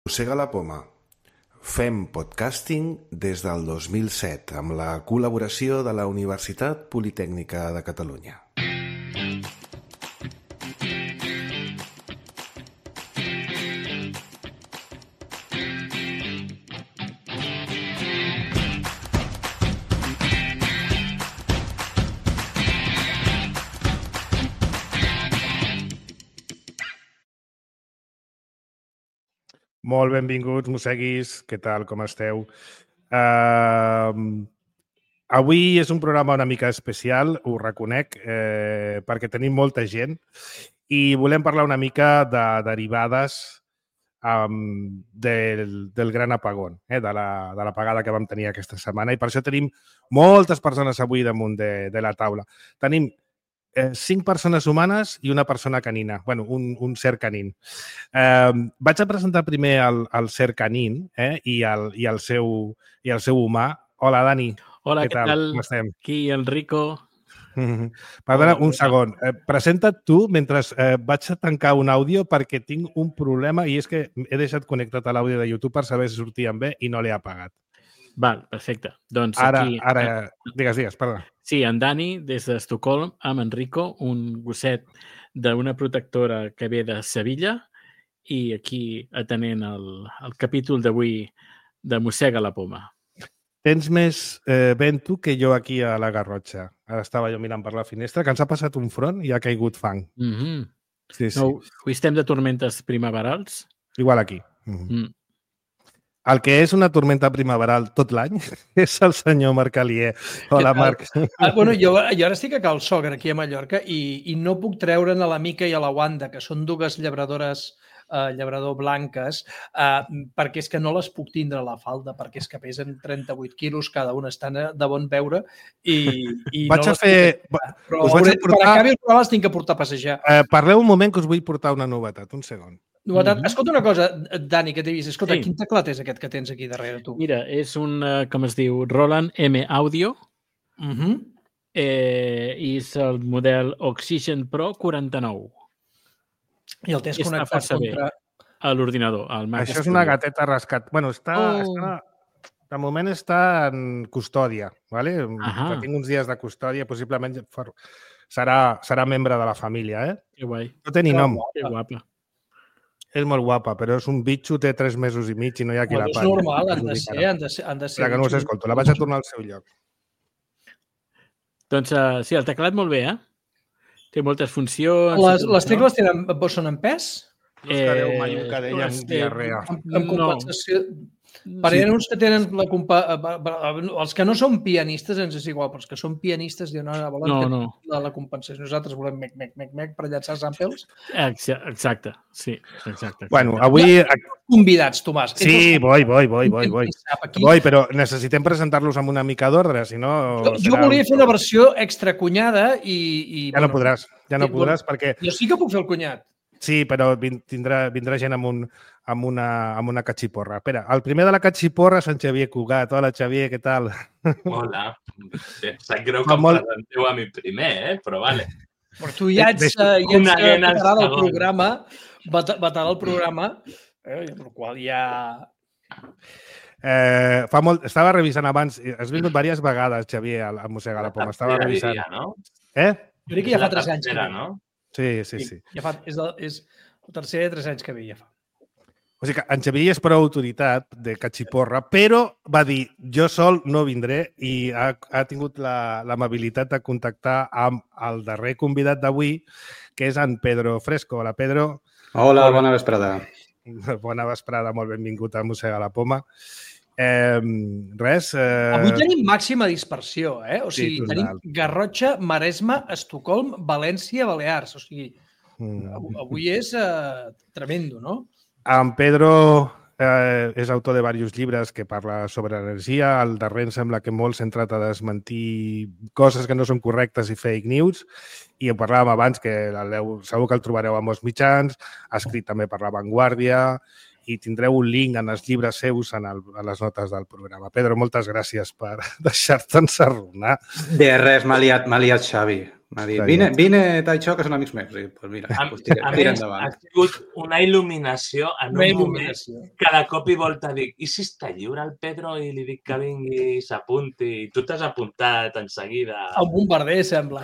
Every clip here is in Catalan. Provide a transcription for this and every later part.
Mossega la poma. Fem podcasting des del 2007 amb la col·laboració de la Universitat Politècnica de Catalunya. Molt benvinguts, mosseguis. Què tal, com esteu? Avui és un programa una mica especial, ho reconec, perquè tenim molta gent i volem parlar una mica de derivades del gran apagón, de l'apagada que vam tenir aquesta setmana, i per això tenim moltes persones avui damunt de la taula. Tenim 5 persones humanes i una persona canina, bueno, un ser canin. Vaig a presentar primer el ser canin i el seu humà. Hola, Dani. Hola, què tal? Com estem? Aquí, Enrico. Perdona, un segon. Presenta't tu mentre vaig a tancar un àudio perquè tinc un problema i és que he deixat connectat a l'àudio de YouTube per saber si sortien bé i no l'he apagat. Val, perfecte. Doncs Ara, aquí... Digues, perdona. Sí, en Dani, des d'Estocolm, amb Enrico, un gosset d'una protectora que ve de Sevilla, i aquí atenent el capítol d'avui de Mossega la poma. Tens més vent tu que jo aquí a la Garrotxa. Ara estava jo mirant per la finestra, que ens ha passat un front i ha caigut fang. Sí, sí. No, avui estem de tormentes primaverals? Igual aquí. El que és una tormenta primaveral tot l'any és el senyor Marc Alier. Hola, Marc. Bueno, jo ara estic a Cal Sogre, aquí a Mallorca, i no puc treure'n a la Mica i a la Wanda, que són dues llabrador blanques, perquè és que no les puc tindre a la falda, perquè és que pesen 38 quilos, cada una estan de bon veure, i vaig no a fer... Però per acabi el programa les tinc que portar a passejar. Parleu un moment que us vull portar una novetat, un segon. Escolta una cosa, Dani, que t'he vist. Escolta, quin teclat és aquest que tens aquí darrere tu? Mira, és un, com es diu, Roland M Audio, i és el model Oxygen Pro 49. I el tens connectat contra... a l'ordinador. Això és una gateta rescat. Bueno, de moment està en custòdia, ¿vale? Que tinc uns dies de custòdia, possiblement serà membre de la família, Que guai. No té ni nom. Que guapa. És molt guapa, però és un bitxo, té 3 mesos i mig i no hi ha qui la pagui. És normal, han de ser. Que no us escolto, la vaig a tornar al seu lloc. Doncs sí, el teclat molt bé, Té moltes funcions. Les tecles són en pes? No us quedeu mai un cadell amb diarrea. Amb compensació... Perquè hi ha uns que tenen els que no són pianistes ens és igual, però els que són pianistes diuen, volen la compensació. Nosaltres volem mec per llançar samples. Exacte, sí. Exacte. Bueno, avui... Convidats, Tomàs. Sí, vull, però necessitem presentar-los amb una mica d'ordre, si no... Jo volia fer una versió extracunyada i... Ja no podràs, perquè... Jo sí que puc fer el cunyat. Sí, però vindrà gent amb una catxiporra. Espera, el primer de la catxiporra és en Xavier Cugat. Hola, Xavier, què tal? Hola. Sap greu que em presenteu a mi primer, però vale. Però tu ja ets veterà del programa, amb el qual ja... Estava revisant abans, has vingut diverses vegades, Xavier, a Mossegar la poma. Estava revisant. No? Jo crec que ja fa 3 anys. No? Sí. És el tercer de 3 anys que ve, ja fa. O sigui que en Xavier és prou autoritat de catxiporra, però va dir, jo sol no vindré i ha tingut l'amabilitat de contactar amb el darrer convidat d'avui, que és en Pedro Fresco. Hola, Pedro. Hola, bona vesprada. Bona vesprada, molt benvingut a Mossega la poma. Avui tenim màxima dispersió, O sigui, tenim Garrotxa, Maresme, Estocolm, València, Balears. O sigui, avui és tremendo, no? En Pedro és autor de diversos llibres que parla sobre energia. El darrer em sembla que molt centrat a desmentir coses que no són correctes i fake news. I ho parlàvem abans, que segur que el trobareu a molts mitjans. Ha escrit també per La Vanguardia i tindreu un link en els llibres seus a les notes del programa. Pedro, moltes gràcies per deixar-te ensarronar. De res, m'ha liat Xavi. M'ha dit, vine, Taicho, que són amics meus. I, pues mira, tira endavant. Ha sigut una il·luminació en un moment que de cop i volta dic, i si està lliure el Pedro i li dic que vingui i s'apunti? I tu t'has apuntat en seguida. Un bombarder, sembla,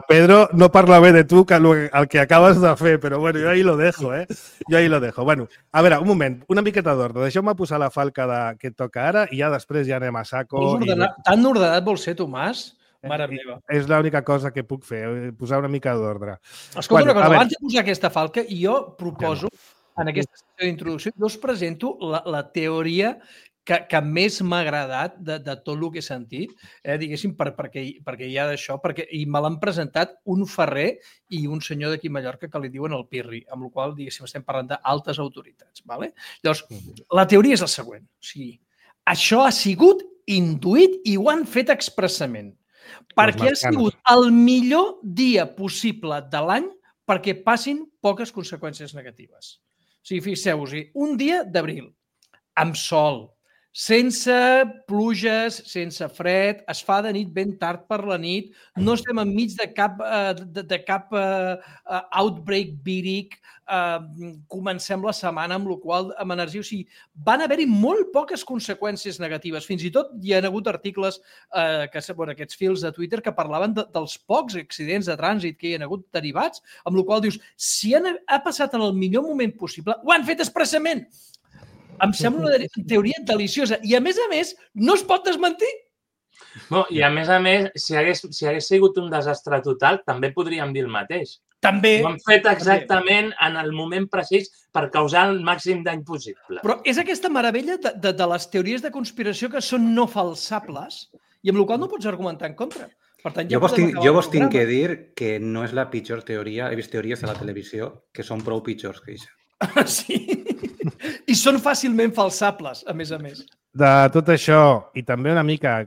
Pedro no parla bé de tu que el que acabes de fer, però bueno, jo ahí lo dejo, Jo ahí lo dejo. Bueno, a veure, un moment, una miqueta d'ordre. Deixeu-me posar la falca que toca ara i ja després ja anem a saco. Tan ordenat vol ser, Tomàs? Mare meva. És l'única cosa que puc fer, posar una mica d'ordre. Escolta, una cosa, abans de posar aquesta falca, jo proposo, en aquesta sessió d'introducció, jo us presento la teoria que més m'ha agradat de tot el que he sentit, diguéssim, perquè hi ha d'això, i me l'han presentat un ferrer i un senyor d'aquí a Mallorca que li diuen el Pirri, amb la qual cosa, diguéssim, estem parlant d'altes autoritats. Llavors, la teoria és la següent. O sigui, això ha sigut intuït i ho han fet expressament. Perquè ha sigut el millor dia possible de l'any perquè passin poques conseqüències negatives. O sigui, fixeu-vos-hi, un dia d'abril, amb sol, sense pluges, sense fred, es fa de nit ben tard per la nit, no estem enmig de cap outbreak víric, comencem la setmana amb la qual amb energia. O sigui, van haver-hi molt poques conseqüències negatives. Fins i tot hi ha hagut articles, aquests fils de Twitter, que parlaven dels pocs accidents de trànsit que hi ha hagut derivats, amb la qual dius, si ha passat en el millor moment possible, ho han fet expressament. Em sembla una teoria deliciosa. I, a més, no es pot desmentir. I, a més, si hagués sigut un desastre total, també podríem dir el mateix. També. Ho han fet exactament en el moment precís per causar el màxim dany possible. Però és aquesta meravella de les teories de conspiració que són no falsables i amb la qual no pots argumentar en contra. Per tant, jo vos tinc que dir que no és la pitjor teoria. He vist teories a la televisió que són prou pitjors que això. Sí. I són fàcilment falsables, a més. De tot això, i també una mica,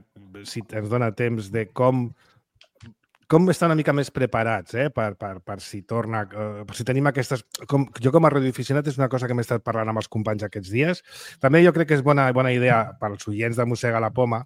si ens dona temps, de com estar una mica més preparats per si torna, per si tenim aquestes... Jo com a radioaficionat és una cosa que m'he estat parlant amb els companys aquests dies. També jo crec que és bona idea pels oients de Mossega la Poma,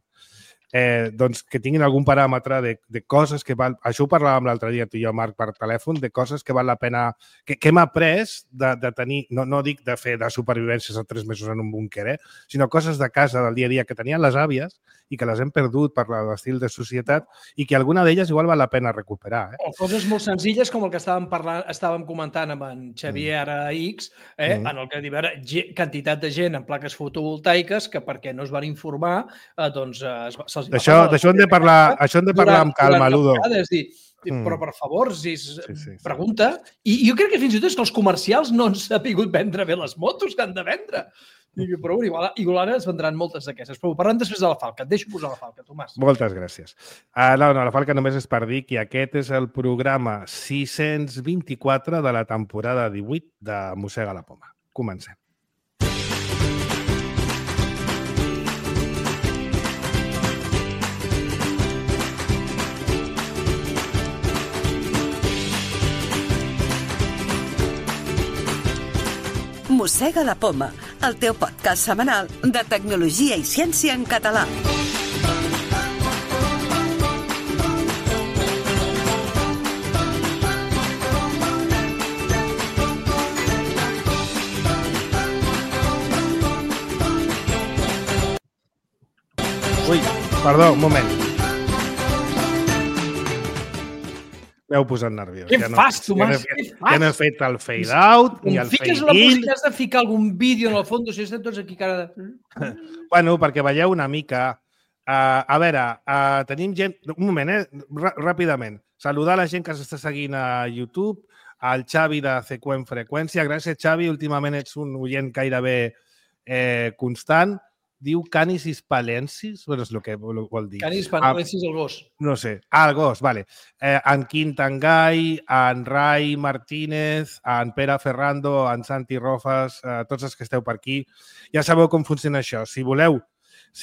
doncs que tinguin algun paràmetre de coses que val... Això ho parlàvem l'altre dia, tu i jo, Marc, per telèfon, de coses que val la pena... Que hem après de tenir... No dic de fer de supervivències a 3 mesos en un búnquer, sinó coses de casa, del dia a dia, que tenien les àvies i que les hem perdut per l'estil de societat i que alguna d'elles igual val la pena recuperar. O coses molt senzilles com el que estàvem comentant amb en Xavier X, en el que hi va haver quantitat de gent en plaques fotovoltaiques que perquè no es van informar, doncs d'això hem de parlar amb calma, Ludo. És dir, però per favor, pregunta. I jo crec que fins i tot és que els comercials no han sabut vendre bé les motos que han de vendre. Però igual ara es vendran moltes d'aquestes. Però parlem després de la falca. Et deixo posar la falca, Tomàs. Moltes gràcies. No, la falca només és per dir que aquest és el programa 624 de la temporada 18 de Mossega la Poma. Comencem. Mossega la Poma, el teu podcast setmanal de tecnologia i ciència en català. Ui, perdó, un moment. M'heu posat nerviós. Què fas, Tomàs? Ja no he fet el fade-out ni el fade-in. Fiques la música, has de ficar algun vídeo en el fons, si estem tots aquí cara de... Bueno, perquè veieu una mica... A veure, tenim gent... Un moment, ràpidament. Saludar la gent que s'està seguint a YouTube, al Xavi de Seqüent Freqüència. Gràcies, Xavi. Últimament ets un oient gairebé constant. Diu Canis hispalensis, bueno, és el que vol dir. Canis hispalensis, el gos. No sé. El gos, vale. En Quim Tangay, en Rai Martínez, en Pere Ferrando, en Santi Rofas, tots els que esteu per aquí. Ja sabeu com funciona això. Si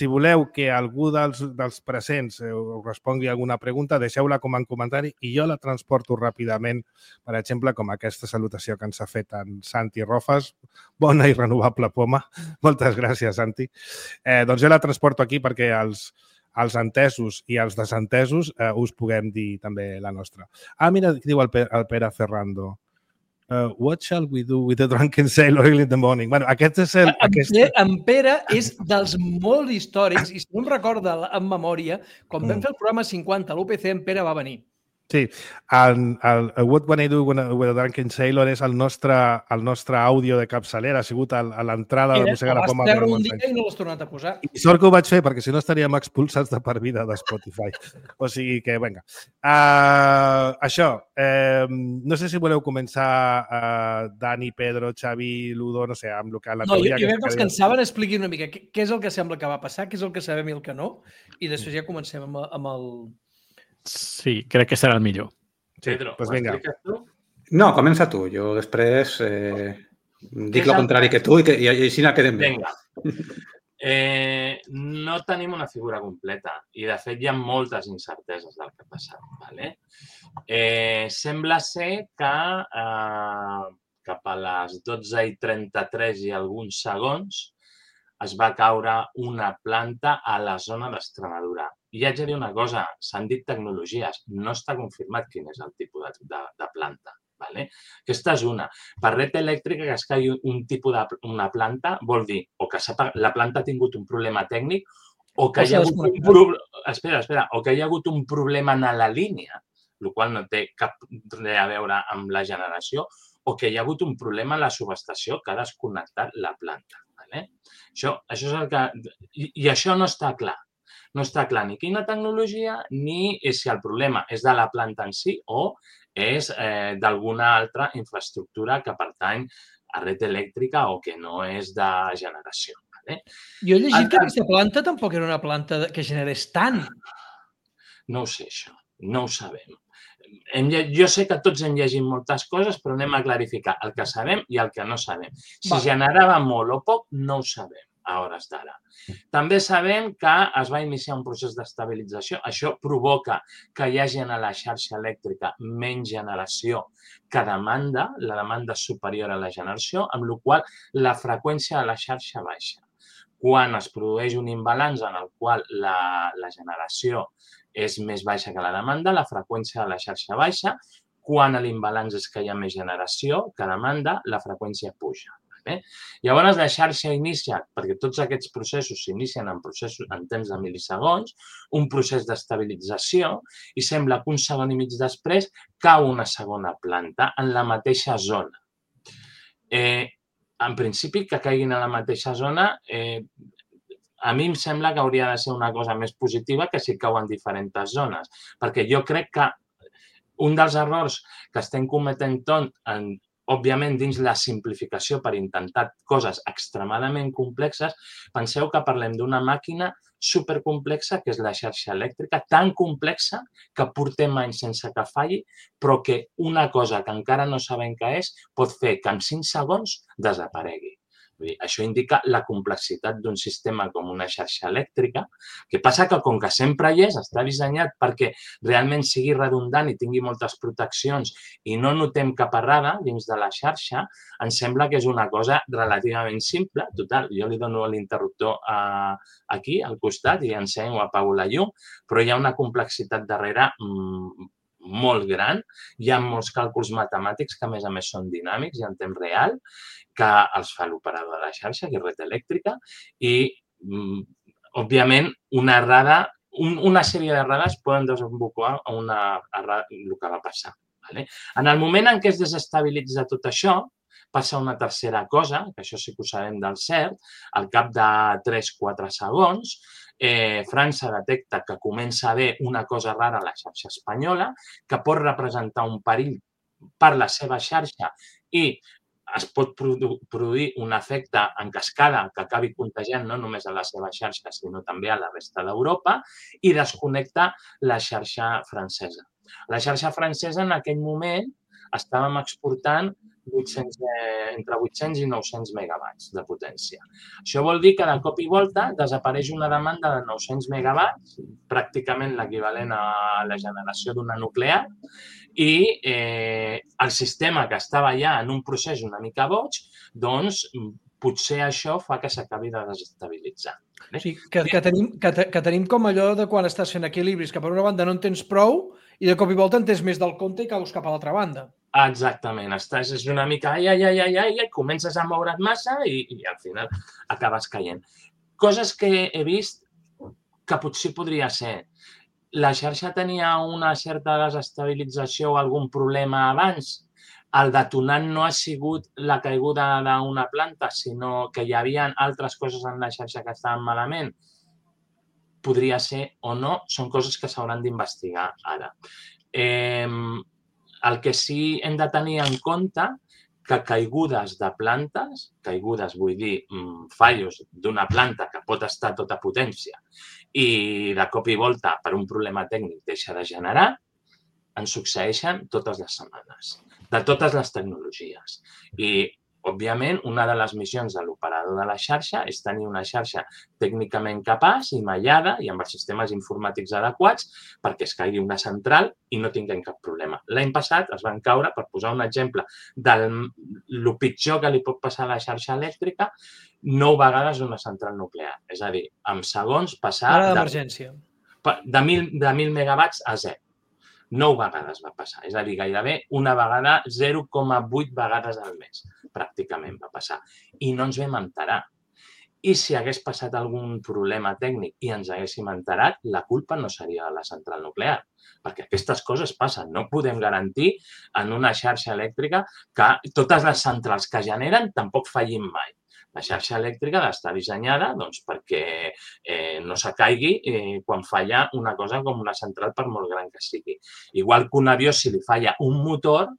voleu que algú dels presents us respongui alguna pregunta, deixeu-la com a comentari i jo la transporto ràpidament, per exemple, com aquesta salutació que ens ha fet en Santi Rofas. Bona i renovable poma. Moltes gràcies, Santi. Doncs jo la transporto aquí perquè els els entesos i els desentesos us puguem dir també la nostra. Mira, diu el Pere Ferrando. What shall we do with the drunken sailor early in the morning? Bueno, aquest és el... En Pere és dels molt històrics i si no em recorda en memòria, quan vam fer el programa 50 a l'UPC, en Pere va venir. Sí, el What When I Do with a Drunken Sailor és el nostre àudio de capçalera, ha sigut a l'entrada de Mossega la Poma. El vas treure un dia i no l'has tornat a posar. I sort que ho vaig fer, perquè si no estaríem expulsats de per vida de Spotify. O sigui que, vinga. Això, no sé si voleu començar, Dani, Pedro, Xavi, Ludo, no sé, amb el que... No, jo crec que els que en saben expliquin una mica què és el que sembla que va passar, què és el que sabem i el que no, i després ja comencem amb el... Sí, crec que serà el millor. Pedro, pues vinga. expliques tu? No, comença tu. Jo després dic el contrari que tu i així no quedem bé. Vinga. No tenim una figura completa i, de fet, hi ha moltes incerteses del que ha passat. Vale? Sembla ser que cap a les 12:33 i alguns segons es va caure una planta a la zona d'Extremadura. I haig de dir una cosa, s'han dit tecnologies, no està confirmat quin és el tipus de planta. Vale? Aquesta és una. Per red elèctrica, que es caigui un tipus d'una planta vol dir o que la planta ha tingut un problema tècnic o que hi ha hagut un problema en la línia, el qual no té cap res a veure amb la generació, o que hi ha hagut un problema a la subestació que ha desconnectat la planta. Vale? Això és el que... I això no està clar. No està clar ni quina tecnologia ni si el problema és de la planta en si o és d'alguna altra infraestructura que pertany a red elèctrica o que no és de generació. Vale? Jo he llegit que aquesta planta tampoc era una planta que generés tant. No ho sé, això. No ho sabem. Jo sé que tots hem llegit moltes coses, però anem a clarificar el que sabem i el que no sabem. Si generava molt o poc, no ho sabem a hores d'ara. També sabem que es va iniciar un procés d'estabilització. Això provoca que hi hagi a la xarxa elèctrica menys generació que demanda, la demanda és superior a la generació, amb la qual la freqüència de la xarxa baixa. Quan es produeix un imbalanç en el qual la generació és més baixa que la demanda, la freqüència de la xarxa baixa. Quan l'imbalanç és que hi ha més generació que demanda, la freqüència puja. Llavors, la xarxa inicia, perquè tots aquests processos s'inicien en temps de milisegons, un procés d'estabilització i sembla que un segon i mig després cau una segona planta en la mateixa zona. En principi, que caiguin a la mateixa zona, a mi em sembla que hauria de ser una cosa més positiva que si cau en diferents zones, perquè jo crec que un dels errors que estem cometent òbviament, dins la simplificació per intentar coses extremadament complexes, penseu que parlem d'una màquina supercomplexa, que és la xarxa elèctrica, tan complexa que portem anys sense que falli, però que una cosa que encara no sabem què és pot fer que en 5 segons desaparegui. Això indica la complexitat d'un sistema com una xarxa elèctrica, que passa que com que sempre hi és, està dissenyat perquè realment sigui redundant i tingui moltes proteccions i no notem cap errada dins de la xarxa, ens sembla que és una cosa relativament simple. Total, jo li dono l'interruptor aquí, al costat, i encenyo, apago la llum, però hi ha una complexitat darrere molt gran. Hi ha molts càlculs matemàtics que, a més, són dinàmics i en temps real, que els fa l'operador de la xarxa, que és red elèctrica, i, òbviament, una sèrie d'errades poden desembocar a el que va passar. En el moment en què es desestabilitza tot això, passa una tercera cosa, que això sí que ho sabem del cert, al cap de 3-4 segons, França detecta que comença a haver una cosa rara a la xarxa espanyola, que pot representar un perill per la seva xarxa i es pot produir un efecte en cascada que acabi contagiant no només a la seva xarxa, sinó també a la resta d'Europa, i desconnecta la xarxa francesa. La xarxa francesa en aquell moment estàvem exportant entre 800 i 900 megawatts de potència. Això vol dir que de cop i volta desapareix una demanda de 900 megawatts, pràcticament l'equivalent a la generació d'una nuclear, i el sistema que estava ja en un procés una mica boig, doncs potser això fa que s'acabi de desestabilitzar. Sí, que tenim com allò de quan estàs fent equilibris, que per una banda no en tens prou i de cop i volta en tens més del compte i caus cap a l'altra banda. Exactament, estàs una mica ai, comences a moure't massa i al final acabes caient. Coses que he vist que potser podria ser. La xarxa tenia una certa desestabilització o algun problema abans. El detonant no ha sigut la caiguda d'una planta, sinó que hi havia altres coses en la xarxa que estaven malament. Podria ser o no, són coses que s'hauran d'investigar ara. El que sí hem de tenir en compte que caigudes de plantes, caigudes vull dir fallos d'una planta que pot estar a tota potència i de cop i volta per un problema tècnic deixa de generar, ens succeeixen totes les setmanes, de totes les tecnologies. I, òbviament, una de les missions de l'operador de la xarxa és tenir una xarxa tècnicament capaç i mallada i amb els sistemes informàtics adequats perquè es caigui una central i no tinguem cap problema. L'any passat es van caure, per posar un exemple, del pitjor que li pot passar a la xarxa elèctrica, 9 vegades una central nuclear. És a dir, en segons passar d'emergència. De 1.000 megawatts a 0. 9 vegades va passar. És a dir, gairebé una vegada, 0,8 vegades al mes, pràcticament va passar. I no ens vam enterar. I si hagués passat algun problema tècnic i ens haguéssim enterat, la culpa no seria de la central nuclear. Perquè aquestes coses passen. No podem garantir en una xarxa elèctrica que totes les centrals que generen tampoc fallin mai. La xarxa elèctrica ha d'estar dissenyada perquè no s'acaigui quan falla una cosa com una central per molt gran que sigui. Igual que un avió, si li falla un motor,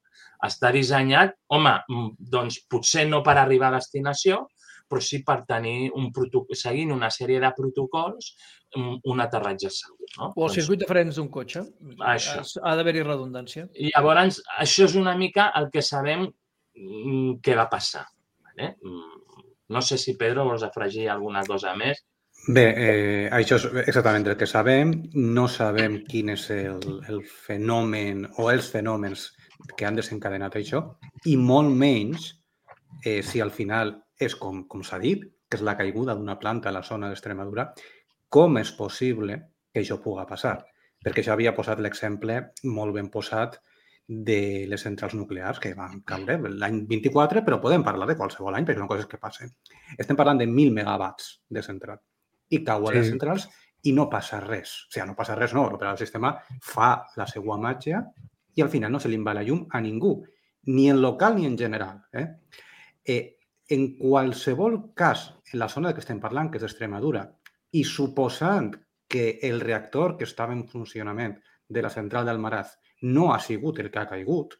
està dissenyat, doncs potser no per arribar a destinació, però sí per tenir seguint una sèrie de protocols un aterratge segur. No? O el circuit de frens d'un cotxe. Això. Ha d'haver-hi redundància. I llavors, això és una mica el que sabem què va passar. No sé si, Pedro, vols afegir alguna cosa més. Bé, això és exactament el que sabem. No sabem quin és el fenomen o els fenòmens que han desencadenat això i molt menys si al final és com s'ha dit, que és la caiguda d'una planta a la zona d'Extremadura, com és possible que això pugui passar? Perquè jo havia posat l'exemple molt ben posat de les centrals nuclears que van caure l'any 24, però podem parlar de qualsevol any perquè són coses que passen. Estem parlant de 1.000 megawatts de central i cauen les centrals i no passa res. O sigui, no passa res, no. L'operador del sistema fa la seva màgia i al final no se li va la llum a ningú, ni en local ni en general. En qualsevol cas, en la zona que estem parlant, que és d'Extremadura, i suposant que el reactor que estava en funcionament de la central d'Almaraz no ha sigut el que ha caigut,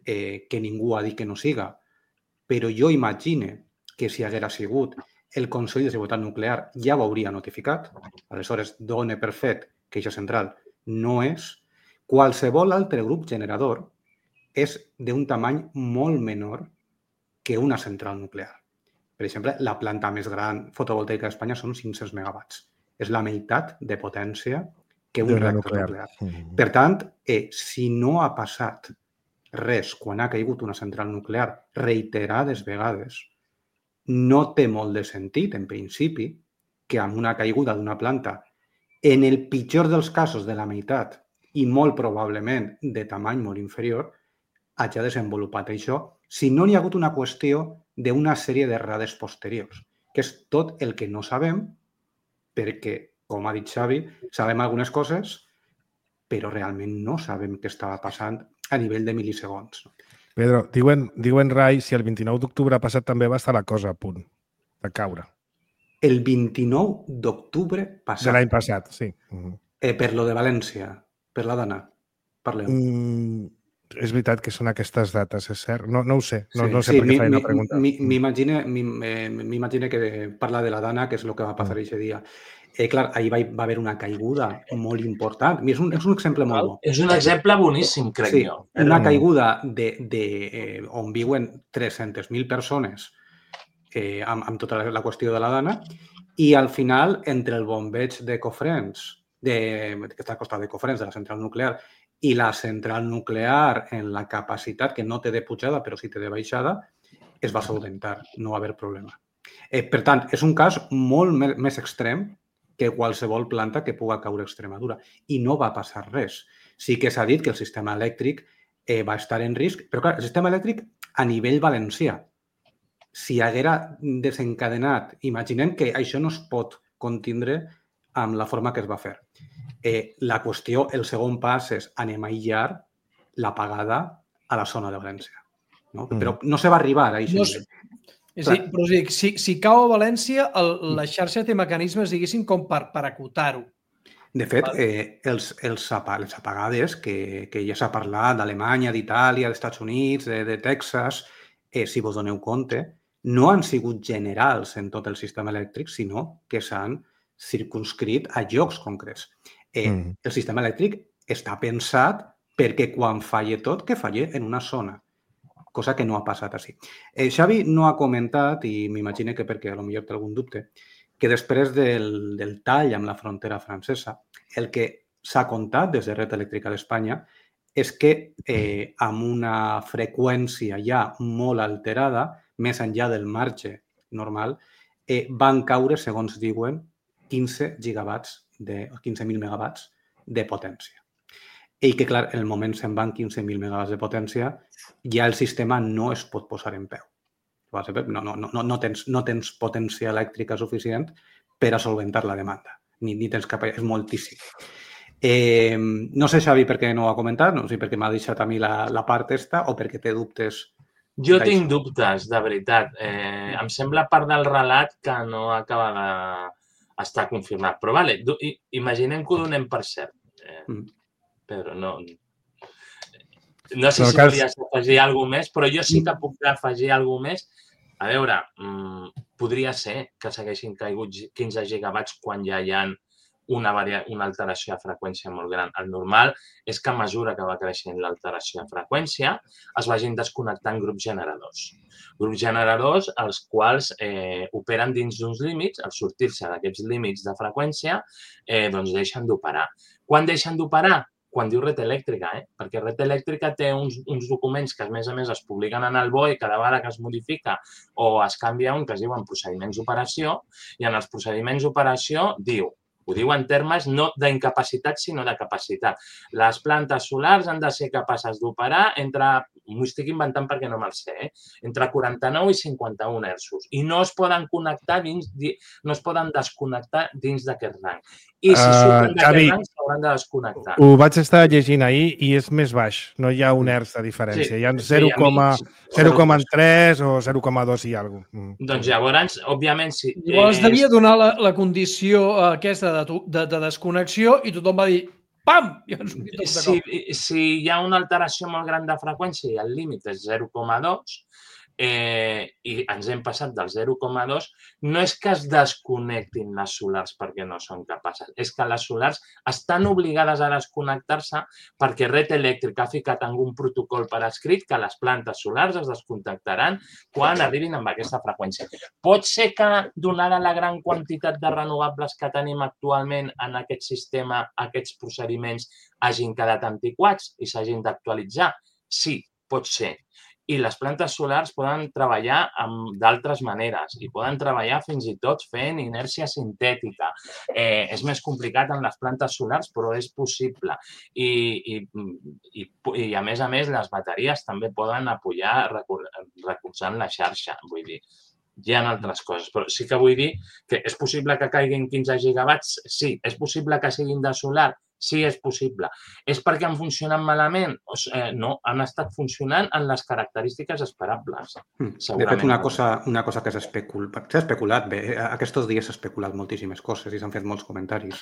que ningú ha dit que no siga, però jo imagine que si haguera sigut el Consell de Seguretat Nuclear ja ho hauria notificat, aleshores dona per fet que aquesta central no és. Qualsevol altre grup generador és d'un tamany molt menor que una central nuclear. Per exemple, la planta més gran fotovoltaica d'Espanya són 500 megawatts. És la meitat de potència que un reactor nuclear. Per tant, si no ha passat res quan ha caigut una central nuclear reiterades vegades, no té molt de sentit, en principi, que amb una caiguda d'una planta, en el pitjor dels casos de la meitat i molt probablement de tamany molt inferior, hagi desenvolupat això, si no hi ha hagut una qüestió d'una sèrie d'errades posteriors, que és tot el que no sabem, perquè, com ha dit Xavi, sabem algunes coses, però realment no sabem què estava passant a nivell de mil·lisegons. Pedro, diuen Rai, si el 29 d'octubre passat també va estar la cosa a punt de caure. El 29 d'octubre passat. De l'any passat, sí. Per lo de València, per la dona. Parleu. És veritat que són aquestes dates, és cert? No ho sé, no sé per què faig una pregunta. M'imagine que parla de la dana, que és el que va passar aquest dia. Clar, ahir va haver una caiguda molt important. És un exemple molt bo. És un exemple boníssim, crec jo. Una caiguda on viuen 300.000 persones amb tota la qüestió de la dana i al final, entre el bombeig de Cofrents, que està al costat de Cofrents, de la central nuclear, i la central nuclear en la capacitat, que no té de pujada, però sí té de baixada, es va solventar, no va haver problema. Per tant, és un cas molt més extrem que qualsevol planta que puga caure a Extremadura i no va passar res. Sí que s'ha dit que el sistema elèctric va estar en risc, però clar, el sistema elèctric a nivell valencià, si haguera desencadenat, imaginem que això no es pot contindre amb la forma que es va fer. La qüestió, el segon pas és anem a aïllar l'apagada a la zona de València. No? Però no se va arribar a això. És a dir, però si cau a València, la xarxa té mecanismes, diguéssim, com per acotar-ho. De fet, les apagades, que ja s'ha parlat d'Alemanya, d'Itàlia, dels Estats Units, de Texas, si vos doneu compte, no han sigut generals en tot el sistema elèctric, sinó que s'han circunscrit a llocs concrets. El sistema elèctric està pensat perquè quan falle tot, que falle en una zona, cosa que no ha passat així. Xavi no ha comentat, i m'imagino que perquè potser té algun dubte, que després del tall amb la frontera francesa, el que s'ha contat des de Red Eléctrica d'Espanya és que amb una freqüència ja molt alterada, més enllà del marge normal, van caure, segons diuen, 15.000 megawatts de potència. I que, clar, en el moment se'n van 15.000 megawatts de potència, ja el sistema no es pot posar en peu. No tens potència elèctrica suficient per a solventar la demanda. Ni tens cap... És moltíssim. No sé, Xavi, per què no ho ha comentat, no sé per què m'ha deixat a mi la part esta o perquè té dubtes. Jo tinc dubtes, de veritat. Em sembla part del relat que no acaba d'estar confirmat. Però vale, imaginem que ho donem per cert. Pedro, no sé si volies afegir alguna més, però jo sí que puc afegir alguna més. A veure, podria ser que s'haguessin caigut 15 gigawatts quan ja hi ha una alteració de freqüència molt gran. El normal és que a mesura que va creixent l'alteració de freqüència es vagin desconnectant grups generadors. Grups generadors els quals operen dins d'uns límits, al sortir-se d'aquests límits de freqüència, doncs deixen d'operar. Quan deixen d'operar? Quan diu Red Eléctrica, perquè Red Eléctrica té uns documents que, a més, es publiquen en el BOE cada vegada que es modifica o es canvia un que es diuen procediments d'operació, i en els procediments d'operació diu, ho diu en termes no d'incapacitat, sinó de capacitat. Les plantes solars han de ser capaces d'operar entre, m'ho estic inventant perquè no me'l sé, entre 49 i 51 hertzos. I no es poden connectar no es poden desconnectar dins d'aquest rang. I si surten d'aquest rang s'hauran de desconnectar. Ho vaig estar llegint ahir i és més baix. No hi ha un hertz de diferència. Hi ha 0,3 o 0,2 i alguna cosa. Doncs llavors, òbviament, si... Llavors devia donar la condició aquesta de desconnexió i tothom va dir pam! Si hi ha una alteració molt gran de freqüència i el límit és 0,2 i ens hem passat del 0,2, no és que es desconnectin les solars perquè no són capaces, és que les solars estan obligades a desconnectar-se perquè Red Eléctrica ha ficat en un protocol per escrit que les plantes solars es desconnectaran quan arribin amb aquesta freqüència. Pot ser que, donada la gran quantitat de renovables que tenim actualment en aquest sistema, aquests procediments hagin quedat antiquats i s'hagin d'actualitzar? Sí, pot ser. I les plantes solars poden treballar d'altres maneres i poden treballar fins i tot fent inèrcia sintètica. És més complicat en les plantes solars, però és possible. I a més, les bateries també poden apoyar recolzant la xarxa. Vull dir, hi ha altres coses, però sí que vull dir que és possible que caiguin 15 gigawatts? Sí. És possible que siguin de solar? Sí, és possible. És perquè han funcionat malament? No, han estat funcionant en les característiques esperables. De fet, una cosa que s'ha especulat bé, aquests dies s'ha especulat moltíssimes coses i s'han fet molts comentaris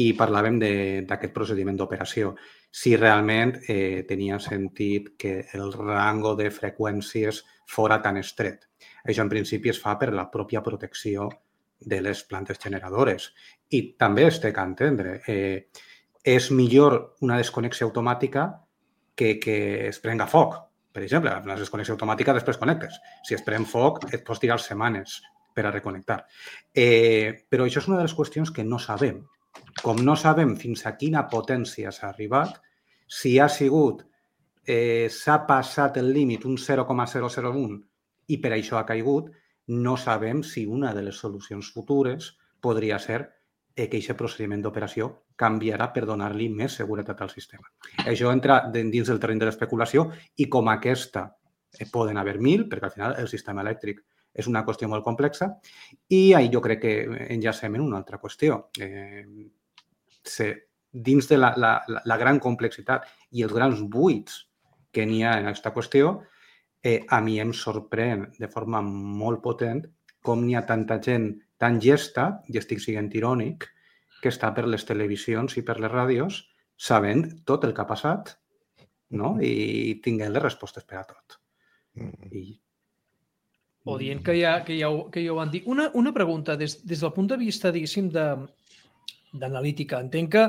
i parlàvem d'aquest procediment d'operació. Si realment tenia sentit que el rango de freqüències fora tan estret. Això en principi es fa per la pròpia protecció de les plantes generadores. I també es té que entendre. És millor una desconnexió automàtica que es prenga foc. Per exemple, una desconnexió automàtica després connectes. Si es pren foc, et pots tirar setmanes per a reconnectar. Però això és una de les qüestions que no sabem. Com no sabem fins a quina potència s'ha arribat, si ha sigut, s'ha passat el límit un 0,001 I per això ha caigut. No sabem si una de les solucions futures podria ser que aquest procediment d'operació canviarà per donar-li més seguretat al sistema. Això entra dins del terreny de l'especulació i com aquesta poden haver 1.000, perquè al final el sistema elèctric és una qüestió molt complexa i ahí jo crec que enllacem en una altra qüestió. Dins de la gran complexitat i els grans buits que n'hi ha en aquesta qüestió, a mi em sorprèn de forma molt potent com n'hi ha tanta gent tan llesta, i estic sent irònic, que està per les televisions i per les ràdios sabent tot el que ha passat, no? I tinguent les respostes per a tot. O dient que ja ho van dir. Una pregunta, des del punt de vista, diguéssim, d'analítica. Entenc que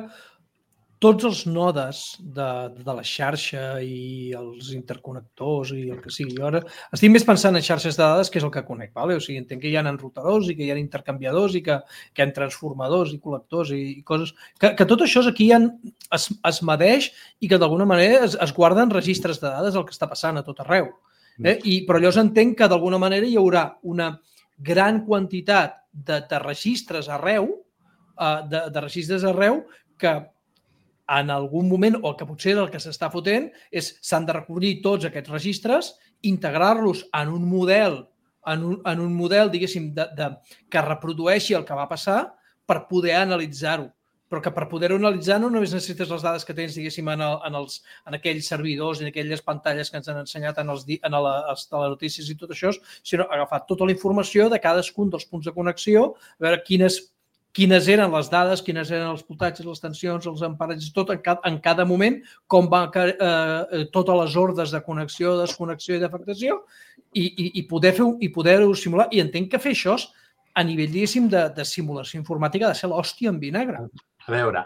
tots els nodes de la xarxa i els interconnectors i el que sigui. Jo ara estic més pensant en xarxes de dades, que és el que conec. O sigui, entenc que hi ha enrutadors i que hi ha intercanviadors i que hi ha transformadors i col·lectors i coses. Que tot això aquí es medeix i que d'alguna manera es guarden registres de dades del que està passant a tot arreu. Però llavors entenc que d'alguna manera hi haurà una gran quantitat de registres arreu, que en algun moment, o que potser el que s'està fotent, s'han de recollir tots aquests registres, integrar-los en un model, diguéssim, que reprodueixi el que va passar per poder analitzar-ho. Però que per poder-ho analitzar no només necessites les dades que tens, diguéssim, en aquells servidors i en aquelles pantalles que ens han ensenyat en les telenotícies i tot això, sinó agafar tota la informació de cadascun dels punts de connexió, a veure quines eren les dades, quines eren els voltatges, les tensions, els amparatges, tot en cada moment, com van totes les ordres de connexió, desconnexió i d'afectació, i poder-ho simular. I entenc que fer això a nivell, diguéssim, de simulació informàtica ha de ser l'hòstia en vinagre. A veure,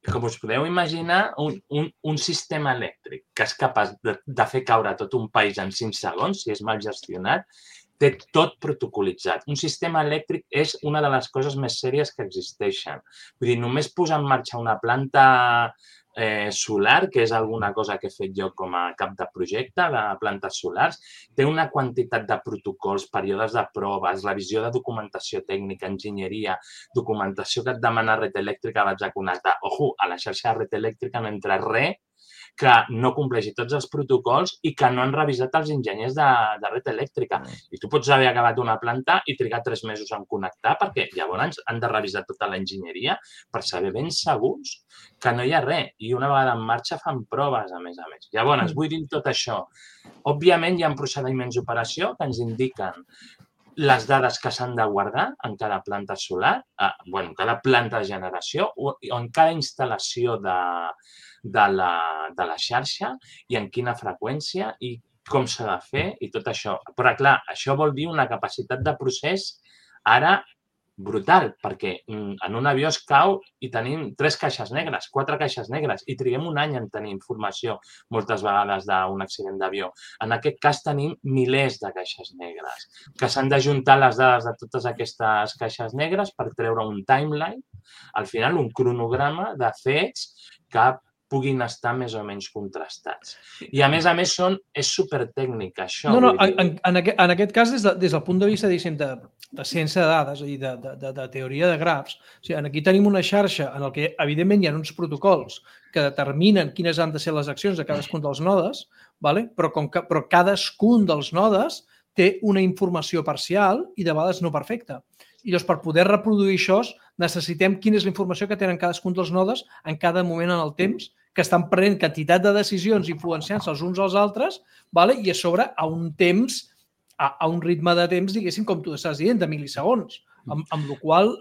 com us podeu imaginar, un sistema elèctric que és capaç de fer caure tot un país en 5 segons, si és mal gestionat, té tot protocolitzat. Un sistema elèctric és una de les coses més sèries que existeixen. Vull dir, només posar en marxa una planta solar, que és alguna cosa que he fet jo com a cap de projecte de plantes solars, té una quantitat de protocols, períodes de proves, revisió de documentació tècnica, enginyeria, documentació que et demana red elèctrica, vaig a connectar. Ojo, a la xarxa de red elèctrica no entra res que no compleixi tots els protocols i que no han revisat els enginyers de red elèctrica. I tu pots haver acabat una planta i trigar 3 mesos en connectar perquè llavors han de revisar tota l'enginyeria per saber ben segurs que no hi ha res. I una vegada en marxa fan proves, a més. Llavors, vull dir tot això. Òbviament, hi ha procediments d'operació que ens indiquen les dades que s'han de guardar en cada planta solar, en cada planta de generació o en cada instal·lació de la xarxa i en quina freqüència i com s'ha de fer i tot això. Però, clar, això vol dir una capacitat de procés ara brutal, perquè en un avió es cau i tenim 3 caixes negres, 4 caixes negres i triguem un any en tenir informació moltes vegades d'un accident d'avió. En aquest cas tenim milers de caixes negres que s'han d'ajuntar les dades de totes aquestes caixes negres per treure un timeline, al final un cronograma de fets que puguin estar més o menys contrastats. I, a més, és supertècnic, això. No, en aquest cas, des del punt de vista, diguéssim, de ciència de dades i de teoria de grafs, o sigui, aquí tenim una xarxa en què, evidentment, hi ha uns protocols que determinen quines han de ser les accions de cadascun dels nodes, però cadascun dels nodes té una informació parcial i de vegades no perfecta. I llavors, per poder reproduir això, necessitem quina és la informació que tenen cadascun dels nodes en cada moment en el temps, que estan prenent quantitat de decisions influenciant-se els uns als altres, i a sobre a un temps, a un ritme de temps, diguéssim, com tu estàs dient, de milisegons. Amb la qual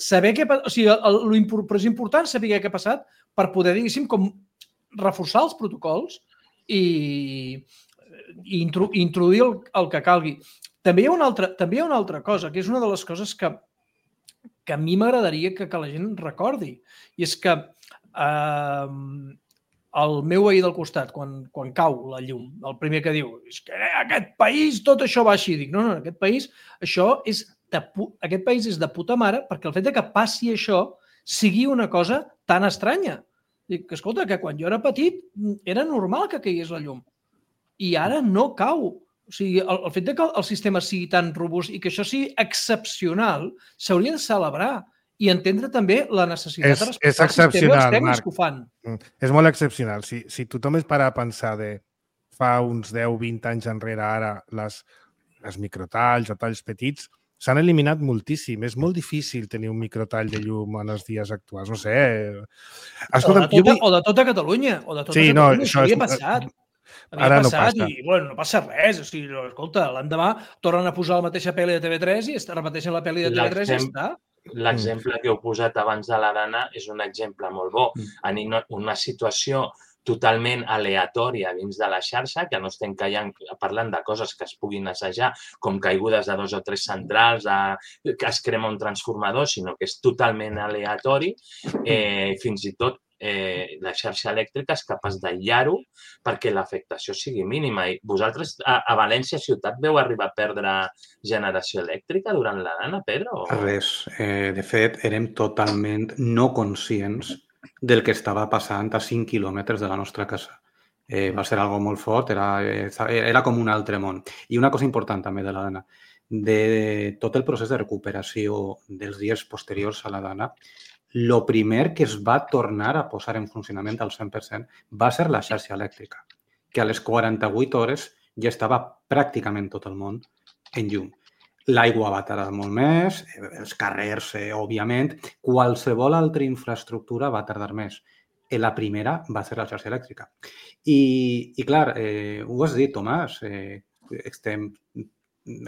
saber què passa, o sigui, però és important saber què ha passat per poder, diguéssim, com reforçar els protocols i introduir el que calgui. També hi ha una altra cosa, que és una de les coses que a mi m'agradaria que la gent recordi, i és que el meu veí del costat, quan cau la llum, el primer que diu és que aquest país tot això va així. Dic, no, aquest país és de puta mare perquè el fet que passi això sigui una cosa tan estranya. Dic, escolta, que quan jo era petit era normal que caigués la llum i ara no cau. O sigui, el fet que el sistema sigui tan robust i que això sigui excepcional s'hauria de celebrar i entendre també la necessitat de respectar el sistema i els tècnics que ho fan. És molt excepcional. Si tothom es para a pensar de fa uns 10-20 anys enrere ara les microtalls o talls petits, s'han eliminat moltíssim. És molt difícil tenir un microtall de llum en els dies actuals. No sé. Escolta, o de tota Catalunya. O de tota Catalunya. Això havia passat. Havia passat i, bueno, no passa res. O sigui, escolta, l'endemà tornen a posar la mateixa pel·li de TV3 i repeteixen la pel·li de TV3 i està. L'exemple que heu posat abans de l'Arana és un exemple molt bo. En una situació totalment aleatòria dins de la xarxa, que no estem parlant de coses que es puguin assajar, com caigudes de 2 o 3 centrals, que es crema un transformador, sinó que és totalment aleatori. Fins i tot la xarxa elèctrica és capaç d'aïllar-ho perquè l'afectació sigui mínima. I vosaltres a València ciutat veu arribar a perdre generació elèctrica durant l'Arana, Pedro? Res. De fet, érem totalment no conscients del que estava passant a 5 quilòmetres de la nostra casa. Va ser algo molt fort, era com un altre món. I una cosa important també de l'Arana, de tot el procés de recuperació dels dies posteriors a l'Arana, el primer que es va tornar a posar en funcionament al 100% va ser la xarxa elèctrica, que a les 48 hores ja estava pràcticament tot el món en llum. L'aigua va tardar molt més, els carrers, òbviament, qualsevol altra infraestructura va tardar més. La primera va ser la xarxa elèctrica. I clar, ho has dit, Tomàs,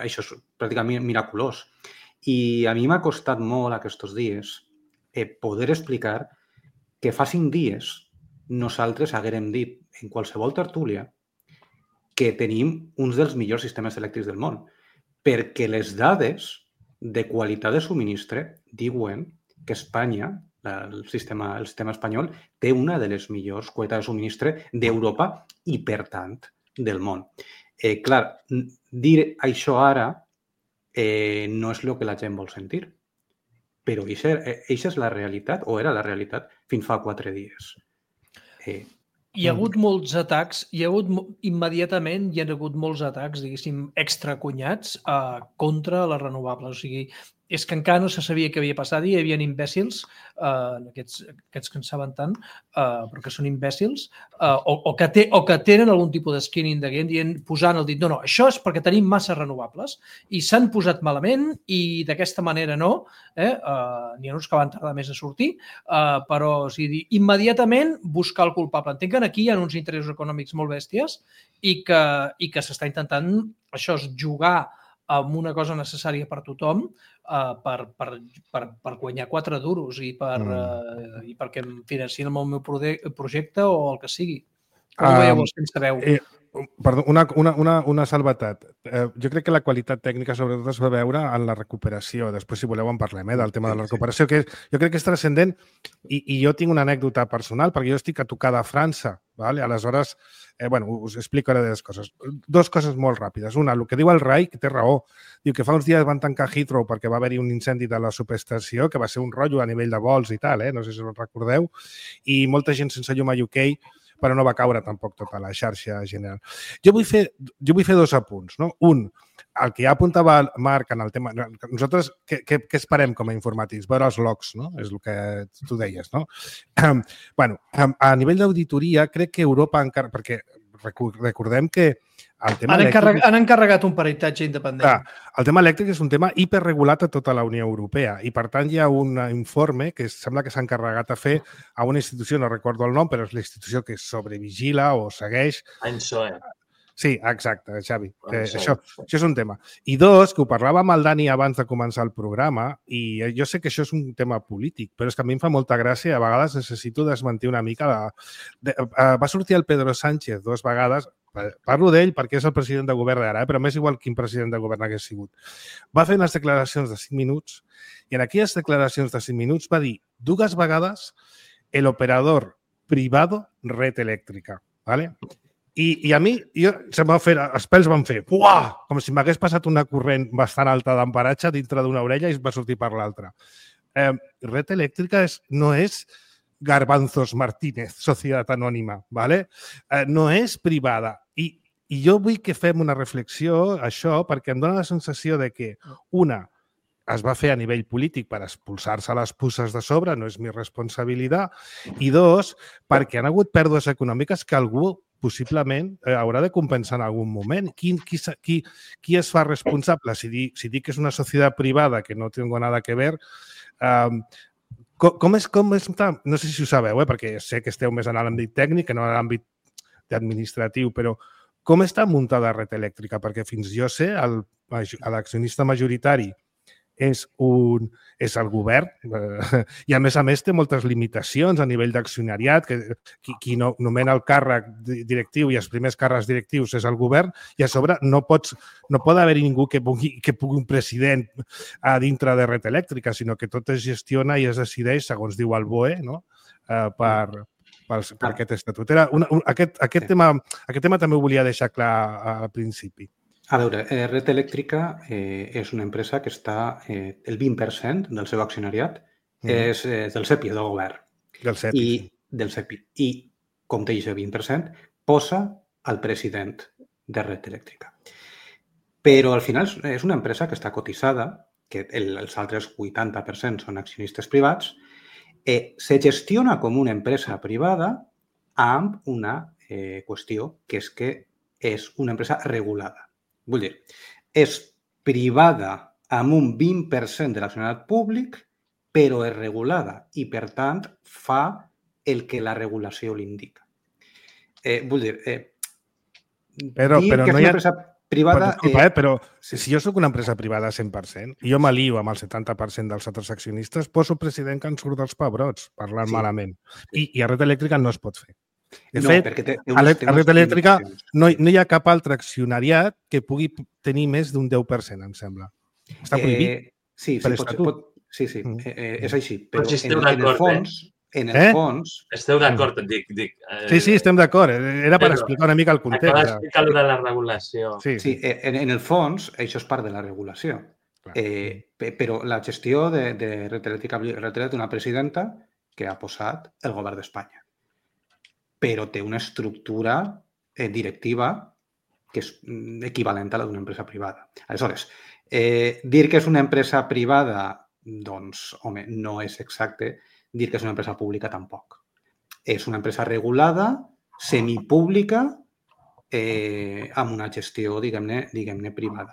això és pràcticament miraculós. I a mi m'ha costat molt aquests dies poder explicar que fa 5 dies nosaltres haguérem dit en qualsevol tertúlia que tenim uns dels millors sistemes elèctrics del món, perquè les dades de qualitat de subministre diuen que Espanya, el sistema espanyol, té una de les millors qualitats de subministre d'Europa i, per tant, del món. Clar, dir això ara no és el que la gent vol sentir, però això és la realitat, o era la realitat, fins fa 4 dies. Hi ha hagut molts atacs, immediatament hi ha hagut molts atacs, diguéssim, extracunyats contra les renovables. O sigui, és que encara no se sabia què havia passat i hi havia imbècils, aquests que en saben tant, però que són imbècils, o que tenen algun tipus de skin in the game, posant el dit, no, això és perquè tenim massa renovables i s'han posat malament i d'aquesta manera no, n'hi ha uns que van tardar més a sortir, però o sigui, immediatament buscar el culpable. Entenc que aquí hi ha uns interessos econòmics molt bèsties i que s'està intentant això és jugar amb una cosa necessària per tothom per guanyar 4 duros i perquè em financien amb el meu projecte o el que sigui. Com ho veieu sense veu? Perdó, una salvetat. Jo crec que la qualitat tècnica sobretot es va veure en la recuperació. Després, si voleu, en parlem, del tema de la recuperació, que jo crec que és transcendent i jo tinc una anècdota personal perquè jo estic a tocar de França. Aleshores, us explico ara dues coses. 2 coses molt ràpides. Una, el que diu el Rai, que té raó. Diu que fa uns dies van tancar Heathrow perquè va haver-hi un incendi de la subestació, que va ser un rotllo a nivell de vols i tal, no sé si us recordeu, i molta gent sense llum a UK, però no va caure tampoc tota la xarxa general. Jo vull fer 2 apunts. No? Un, el que ja apuntava el Marc en el tema... Nosaltres què esperem com a informàtics? Veure els logs, no? És el que tu deies, no? A nivell d'auditoria, crec que Europa encara... Perquè recordem que el tema elèctric... Han encarregat un peritatge independent. Clar, el tema elèctric és un tema hiperregulat a tota la Unió Europea i, per tant, hi ha un informe que sembla que s'ha encarregat a fer a una institució, no recordo el nom, però és la institució que sobrevigila o segueix... ENSOE. Sí, exacte, Xavi. Això és un tema. I 2, que ho parlava amb el Dani abans de començar el programa, i jo sé que això és un tema polític, però és que a mi em fa molta gràcia, a vegades necessito desmentir una mica. Va sortir el Pedro Sánchez 2 vegades, parlo d'ell perquè és el president de govern d'ara, però m'és igual quin president de govern hagués sigut. Va fer unes declaracions de 5 minuts i en aquelles declaracions de 5 minuts va dir 2 vegades el operador privado red eléctrica, ¿vale? I a mi, els pèls van fer, uah, com si m'hagués passat una corrent bastant alta d'amparatge dintre d'una orella i va sortir per l'altra. Red Eléctrica no és Garbanzos Martínez, Societat Anònima, ¿vale? No és privada. I I jo vull que fem una reflexió, això, perquè em dóna la sensació de que, una, es va fer a nivell polític per expulsar-se les puces de sobre, no és mi responsabilitat, i dos, perquè han hagut pèrdues econòmiques que algú possiblement haurà de compensar en algun moment. Qui es fa responsable? Si dic que és una societat privada, que no tengo nada que ver, com és, no sé si ho sabeu, perquè sé que esteu més en l'àmbit tècnic que no en l'àmbit administratiu, però com està muntada Red Eléctrica? Perquè fins jo sé, l'accionista majoritari és el govern i, a més, té moltes limitacions a nivell d'accionariat, que qui nomena el càrrec directiu i els primers càrrecs directius és el govern, i a sobre no pot haver ningú que pugui un president a dintre de Red Eléctrica, sinó que tot es gestiona i es decideix, segons diu el BOE, no? per aquest estatut. Aquest tema també ho volia deixar clar al principi. A veure, Red Eléctrica és una empresa que està, el 20% del seu accionariat és del CEPI, del govern. Del CEPI. Del CEPI. I, com té aquest 20%, posa el president de Red Eléctrica. Però al final és una empresa que està cotitzada, que els altres 80% són accionistes privats, se gestiona com una empresa privada amb una qüestió, que és que és una empresa regulada. Vull dir, és privada amb un 20% de l'accionariat públic, però és regulada i, per tant, fa el que la regulació l'indica. Vull dir, però que és una empresa privada... Disculpa, però si jo sóc una empresa privada 100% i jo m'alio amb el 70% dels altres accionistes, poso president que en surt dels pebrots, parlant malament. I a Red Eléctrica no es pot fer. De fet, a Red Eléctrica no hi ha cap altre accionariat que pugui tenir més d'un 10%, em sembla. Està prohibit per estatut. Sí, és així. Però en el fons... Esteu d'acord, et dic. Sí, estem d'acord. Era per explicar una mica el context. Acaba d'explicar de la regulació. Sí, en el fons, això és part de la regulació. Però la gestió de Red Eléctrica té una presidenta que ha posat el govern d'Espanya. Però té una estructura directiva que és equivalent a la d'una empresa privada. Aleshores, dir que és una empresa privada, doncs, home, no és exacte. Dir que és una empresa pública tampoc. És una empresa regulada, semipública, amb una gestió, diguem-ne, privada.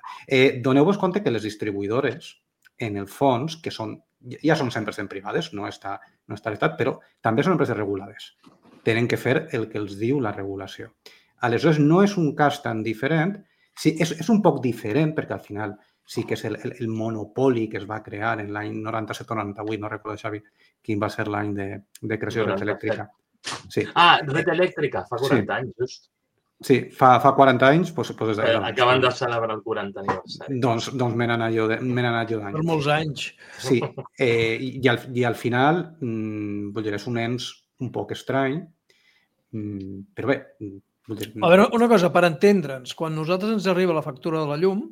Doneu-vos compte que les distribuïdores, en el fons, que ja són 100% privades, no està l'estat, però també són empreses regulades. Tenen que fer el que els diu la regulació. Aleshores, no és un cas tan diferent. Sí, és un poc diferent perquè al final sí que és el monopoli que es va crear en l'any 97 o 98, no recordo, Xavi, quin va ser l'any de creació de Red Eléctrica. Sí. Red Eléctrica, fa 40 anys, just. Sí, fa 40 anys. Acaben de celebrar el 40 aniversari. Doncs me n'anà jo d'any. Per molts anys. Sí, i al final, vull dir, és un ens un poc estrany, però bé... A veure, una cosa, per entendre'ns, quan nosaltres ens arriba la factura de la llum,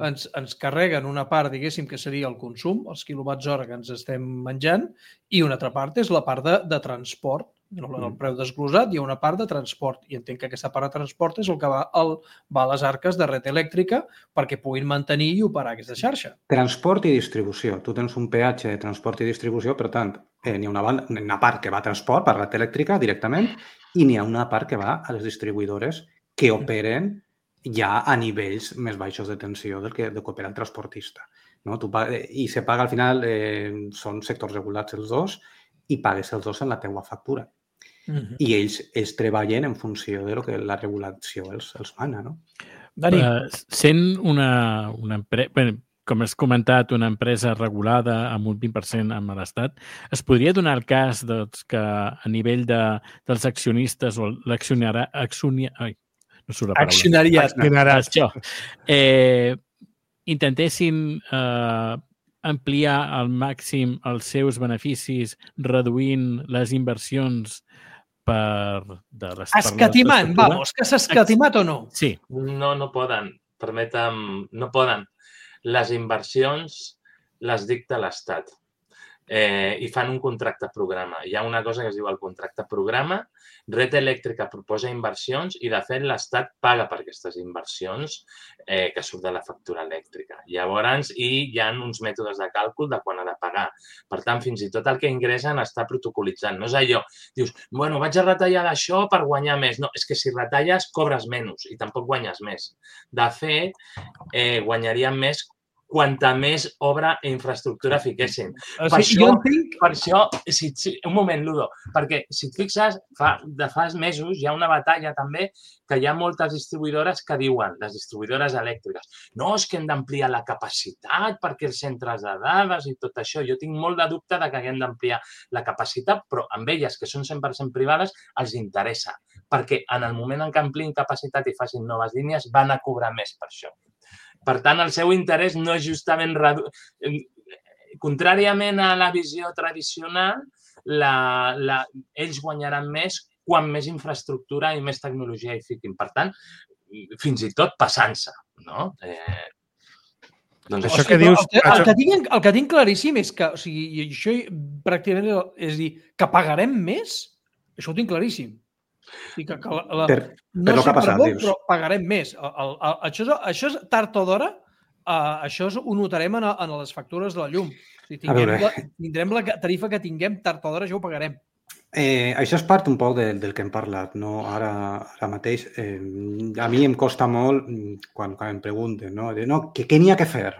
ens carreguen una part, diguéssim, que seria el consum, els quilowatts hora que ens estem menjant, i una altra part és la part de transport. El preu desglosat, hi ha una part de transport, i entenc que aquesta part de transport és el que va a les arques de Red Eléctrica perquè puguin mantenir i operar aquesta xarxa. Transport i distribució. Tu tens un peatge de transport i distribució, per tant, n'hi ha una part que va a transport per Red Eléctrica directament i n'hi ha una part que va a les distribuïdores que operen ja a nivells més baixos de tensió del que opera el transportista. I se paga al final, són sectors regulats els dos, i pagues els dos en la teua factura. I ells treballen en funció de lo que la regulació els mana, no? Dani. Sent una empresa, com has comentat, una empresa regulada amb un 20% amb l'Estat, es podria donar el cas que a nivell dels accionistes o l'accionariat, intentessin ampliar al màxim els seus beneficis reduint les inversions escatimant, vamos, que s'ha escatimat o no? Sí. No poden, permetem, no poden. Les inversions les dicta l'Estat. i fan un contracte programa. Hi ha una cosa que es diu el contracte programa, Red Eléctrica proposa inversions i, de fet, l'Estat paga per aquestes inversions que surt de la factura elèctrica. Llavors, hi ha uns mètodes de càlcul de quan ha de pagar. Per tant, fins i tot el que ingressen està protocolitzant. No és allò, dius, bueno, vaig a retallar d'això per guanyar més. No, és que si retalles, cobres menys i tampoc guanyes més. De fet, guanyaríem més quanta més obra i infraestructura fiquessin. Per això, un moment, Ludo, perquè si et fixes, de fa mesos hi ha una batalla també que hi ha moltes distribuïdores que diuen, les distribuïdores elèctriques, no, és que hem d'ampliar la capacitat perquè els centres de dades i tot això. Jo tinc molt de dubte de que haguem d'ampliar la capacitat, però amb elles, que són 100% privades, els interessa, perquè en el moment en què ampliïn capacitat i facin noves línies, van a cobrar més per això. Per tant, el seu interès no és justament... Contràriament a la visió tradicional, ells guanyaran més quan més infraestructura i més tecnologia hi fiquin. Per tant, fins i tot passant-se, no? Doncs això que dius... El que tinc claríssim és que, o sigui, això pràcticament és dir, que pagarem més, això ho tinc claríssim. Per lo que ha passat, dius. Però pagarem més. Això és tard o d'hora, això ho notarem en les factures de la llum. Tindrem la tarifa que tinguem, tard o d'hora, això ho pagarem. Això és part un poc del que hem parlat, no? Ara mateix. A mi em costa molt quan em pregunten, no? Què n'hi ha que fer?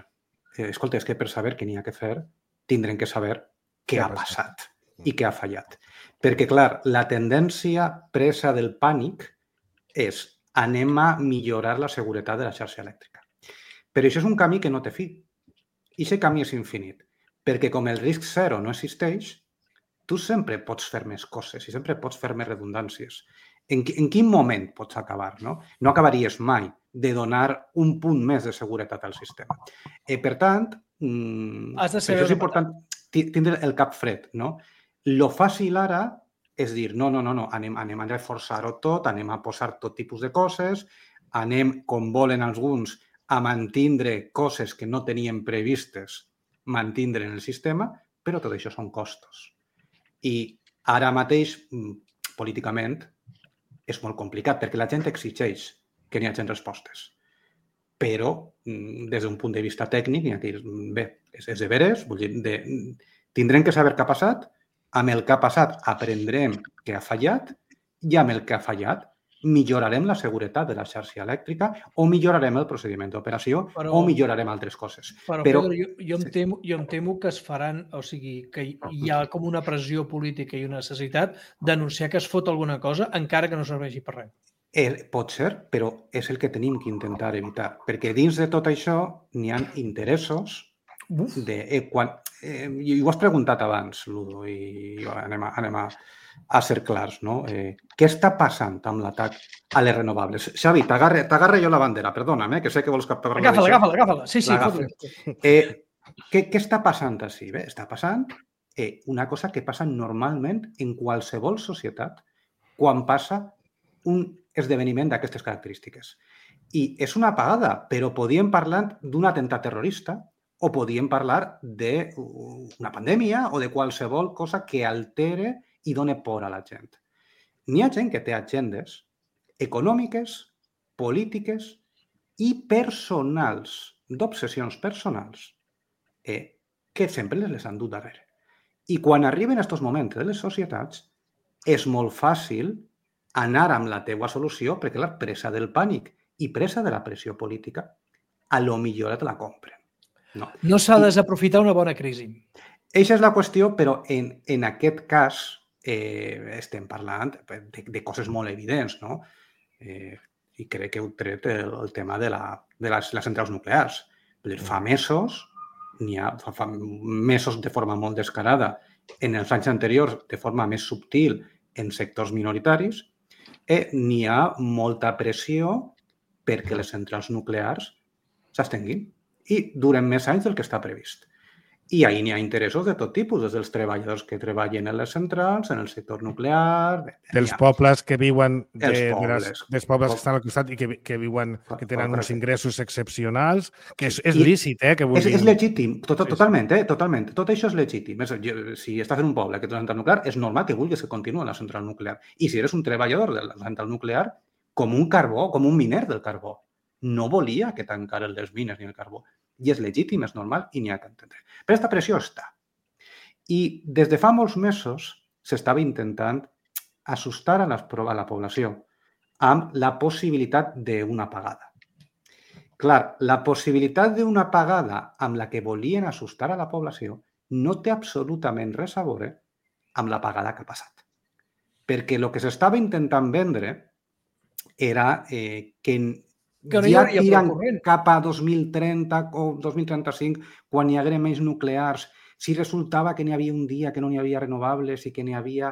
Escolta, és que per saber què n'hi ha que fer, tindrem que saber què ha passat i què ha fallat. Perquè, clar, la tendència presa del pànic és anem a millorar la seguretat de la xarxa elèctrica. Però això és un camí que no té fi. I aquest camí és infinit. Perquè com el risc zero no existeix, tu sempre pots fer més coses i sempre pots fer més redundàncies. En quin moment pots acabar? No acabaries mai de donar un punt més de seguretat al sistema. Per tant, això és important tindre el cap fred, no? Lo fàcil ara és dir, no, anem a reforçar-ho tot, anem a posar tot tipus de coses, anem, com volen alguns, a mantindre coses que no teníem previstes mantindre en el sistema, però tot això són costos. I ara mateix, políticament, és molt complicat, perquè la gent exigeix que n'hi hagi respostes. Però, des d'un punt de vista tècnic, bé, és de veres, vull dir, tindrem que saber què ha passat, amb el que ha passat aprendrem què ha fallat i amb el que ha fallat millorarem la seguretat de la xarxa elèctrica o millorarem el procediment d'operació o millorarem altres coses. Però Pedro, jo em temo que es faran, o sigui, que hi ha com una pressió política i una necessitat d'anunciar que es fot alguna cosa encara que no serveixi per res. Pot ser, però és el que tenim que intentar evitar, perquè dins de tot això n'hi ha interessos i ho has preguntat abans, Ludo, i anem a ser clars, no? Què està passant amb l'atac a les renovables? Xavi, t'agarre jo la bandera, perdona'm, que sé que vols captar... Agafa-la. Sí. Què està passant així? Bé, està passant una cosa que passa normalment en qualsevol societat quan passa un esdeveniment d'aquestes característiques. I és una apagada, però podíem parlar d'un atemptat terrorista o podíem parlar d'una pandèmia o de qualsevol cosa que altere i doni por a la gent. N'hi ha gent que té agendes econòmiques, polítiques i personals, d'obsessions personals, que sempre les han dut darrere. I quan arriben aquests moments de les societats, és molt fàcil anar amb la teua solució perquè la presa del pànic i presa de la pressió política, a lo millor te la compren. No s'ha de desaprofitar una bona crisi. Eixa és la qüestió, però en aquest cas estem parlant de coses molt evidents, no? I crec que heu tret el tema de les centrals nuclears. Fa mesos, fa mesos de forma molt descarada, en els anys anteriors de forma més subtil en sectors minoritaris, n'hi ha molta pressió perquè les centrals nuclears s'estenguin i duren més anys del que està previst. I ahir n'hi ha interessos de tot tipus, des dels treballadors que treballen en les centrals, en el sector nuclear... Dels pobles que viuen... dels pobles que estan al costat i que viuen, que tenen uns ingressos excepcionals, que és lícit, que vulguin... És legítim, totalment, totalment. Tot això és legítim. Si estàs en un poble que té una central nuclear, és normal que vulguis que continuï la central nuclear. I si eres un treballador de la central nuclear, com un carbó, com un miner del carbó, no volia que tancaren les mines ni el carbó. I és legítim, és normal i n'hi ha que entendre. Però aquesta pressió està. I des de fa molts mesos s'estava intentant assustar a la població amb la possibilitat d'una apagada. Clar, la possibilitat d'una apagada amb la que volien assustar a la població no té absolutament res a veure amb l'apagada que ha passat. Perquè el que s'estava intentant vendre era que ja tiren cap a 2030 o 2035, quan hi haguera més nuclears, si resultava que n'hi havia un dia que no n'hi havia renovables i que n'hi havia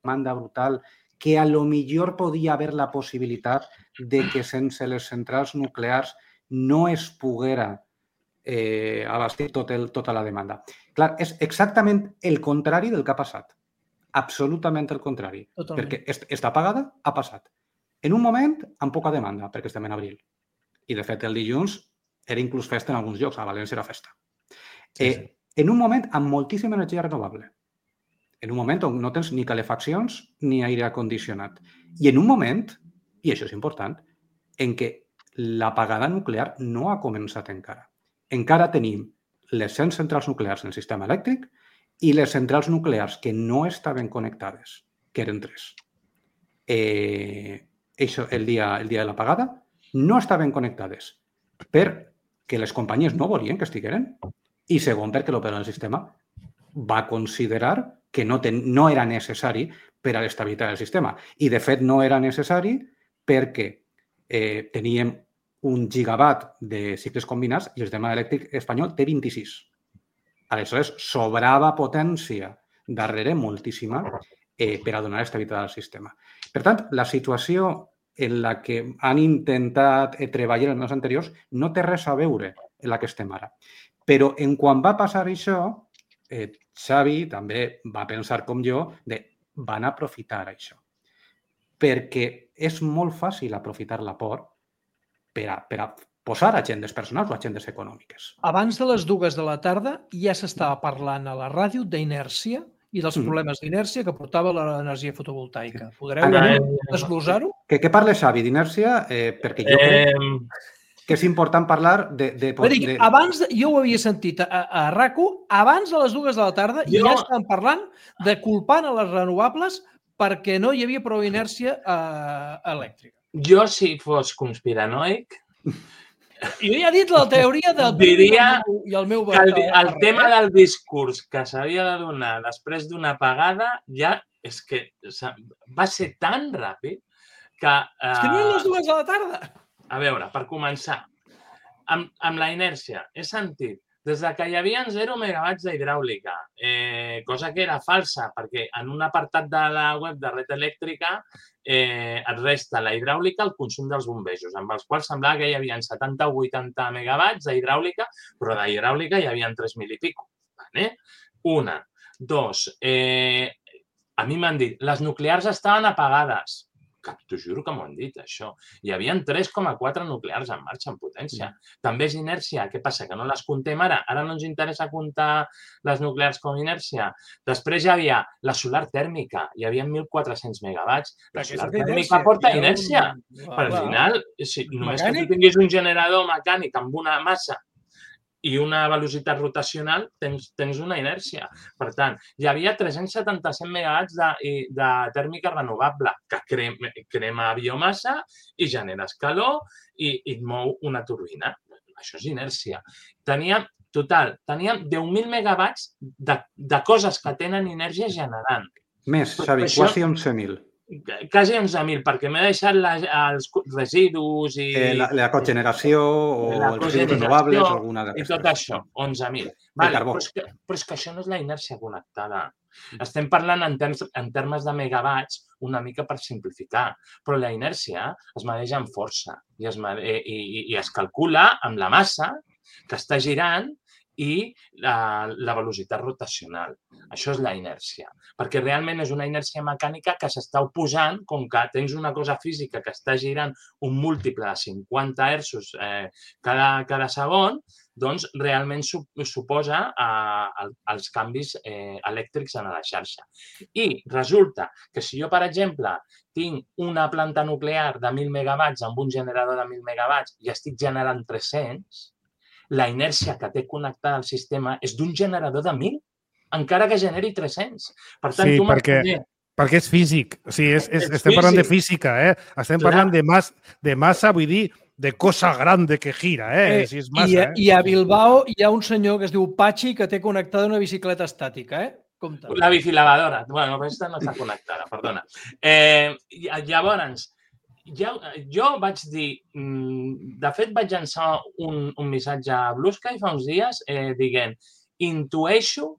demanda brutal, que a lo millor podia haver la possibilitat de que sense les centrals nuclears no es poguera abastir tota la demanda. Clar, és exactament el contrari del que ha passat. Absolutament el contrari. Perquè està apagada, ha passat. En un moment, amb poca demanda, perquè estem en abril. I, de fet, el dilluns era inclús festa en alguns llocs. A València era festa. En un moment, amb moltíssima energia renovable. En un moment on no tens ni calefaccions ni aire condicionat. I en un moment, i això és important, en què l'apagada nuclear no ha començat encara. Encara tenim les 100 centrals nuclears en el sistema elèctric i les centrals nuclears que no estaven connectades, que eren 3. Això, el dia de l'apagada, no estaven connectades perquè les companyies no volien que estigueren i segon perquè l'operador del sistema va considerar que no era necessari per a l'estabilitat del sistema. I, de fet, no era necessari perquè teníem 1 gigawatt de cicles combinats i el sistema elèctric espanyol té 26. Aleshores, sobrava potència darrere moltíssima per a donar estabilitat al sistema. Per tant, la situació en la que han intentat treballar els mesos anteriors no té res a veure en la que estem ara. Però en quan va passar això, Xavi també va pensar com jo van aprofitar això. Perquè és molt fàcil aprofitar la por per a posar agendes personals o agendes econòmiques. Abans de les 2 de la tarda ja s'estava parlant a la ràdio d'inèrcia i dels problemes d'inèrcia que portava l'energia fotovoltaica. Podreu desglosar-ho? Què parla Xavi d'inèrcia? Perquè jo crec que és important parlar de... Abans, jo ho havia sentit a RAC1, abans de les 2 de la tarda ja estàvem parlant de culpant a les renovables perquè no hi havia prou inèrcia elèctrica. Jo, si fos conspiranoic... Jo ja he dit la teoria del... Diria que el tema del discurs que s'havia de donar després d'una apagada ja és que va ser tan ràpid que... És que no eren les 2 de la tarda. A veure, per començar, amb la inèrcia, he sentit des que hi havia 0 megawatts d'hidràulica, cosa que era falsa, perquè en un apartat de la web de Red Elèctrica et resta la hidràulica al consum dels bombejos, amb els quals semblava que hi havia 70 o 80 megawatts d'hidràulica, però d'hidràulica hi havia 3.000 i pico. Una. 2. A mi m'han dit, les nuclears estaven apagades. T'ho juro que m'ho han dit, això. Hi havia 3,4 nuclears en marxa, en potència. També és inèrcia. Què passa? Que no les comptem ara? Ara no ens interessa comptar les nuclears com inèrcia. Després hi havia la solar tèrmica. Hi havia 1.400 megawatts. La solar tèrmica porta inèrcia. Per al final, només que tu tinguis un generador mecànic amb una massa i una velocitat rotacional, tens una inèrcia. Per tant, hi havia 377 megawatts de tèrmica renovable que crema biomassa i genera calor i et mou una turbina. Això és inèrcia. Teníem 10.000 megawatts de coses que tenen inèrcia generant. Més, Xavi, quasi 11.000. Quasi 11.000, perquè m'he deixat els residus i... La cogeneració o els residus renovables o alguna d'aquestes. I tot això, 11.000. Però és que això no és la inèrcia connectada. Estem parlant en termes de megawatts una mica per simplificar, però la inèrcia es mesura amb força i es calcula amb la massa que està girant i la velocitat rotacional. Això és la inèrcia, perquè realment és una inèrcia mecànica que s'està oposant, com que tens una cosa física que està girant un múltiple de 50 hertzos cada segon, doncs realment suposa els canvis elèctrics en la xarxa. I resulta que si jo, per exemple, tinc una planta nuclear de 1.000 megawatts amb un generador de 1.000 megawatts i estic generant 300, la inèrcia que té connectada al sistema és d'un generador de 1.000, encara que generi 300. Per tant, Sí, tu perquè és físic. O sigui, estem parlant de física, Estem parlant de massa, vull dir, de cosa grande que gira, Si és massa, I a Bilbao hi ha un senyor que es diu Patxi que té connectada una bicicleta estàtica, Compte. La bicilavadora. Bueno, aquesta no està connectada, perdona. Llavors, jo vaig dir, de fet vaig llançar un missatge a Blue Sky fa uns dies dient, intueixo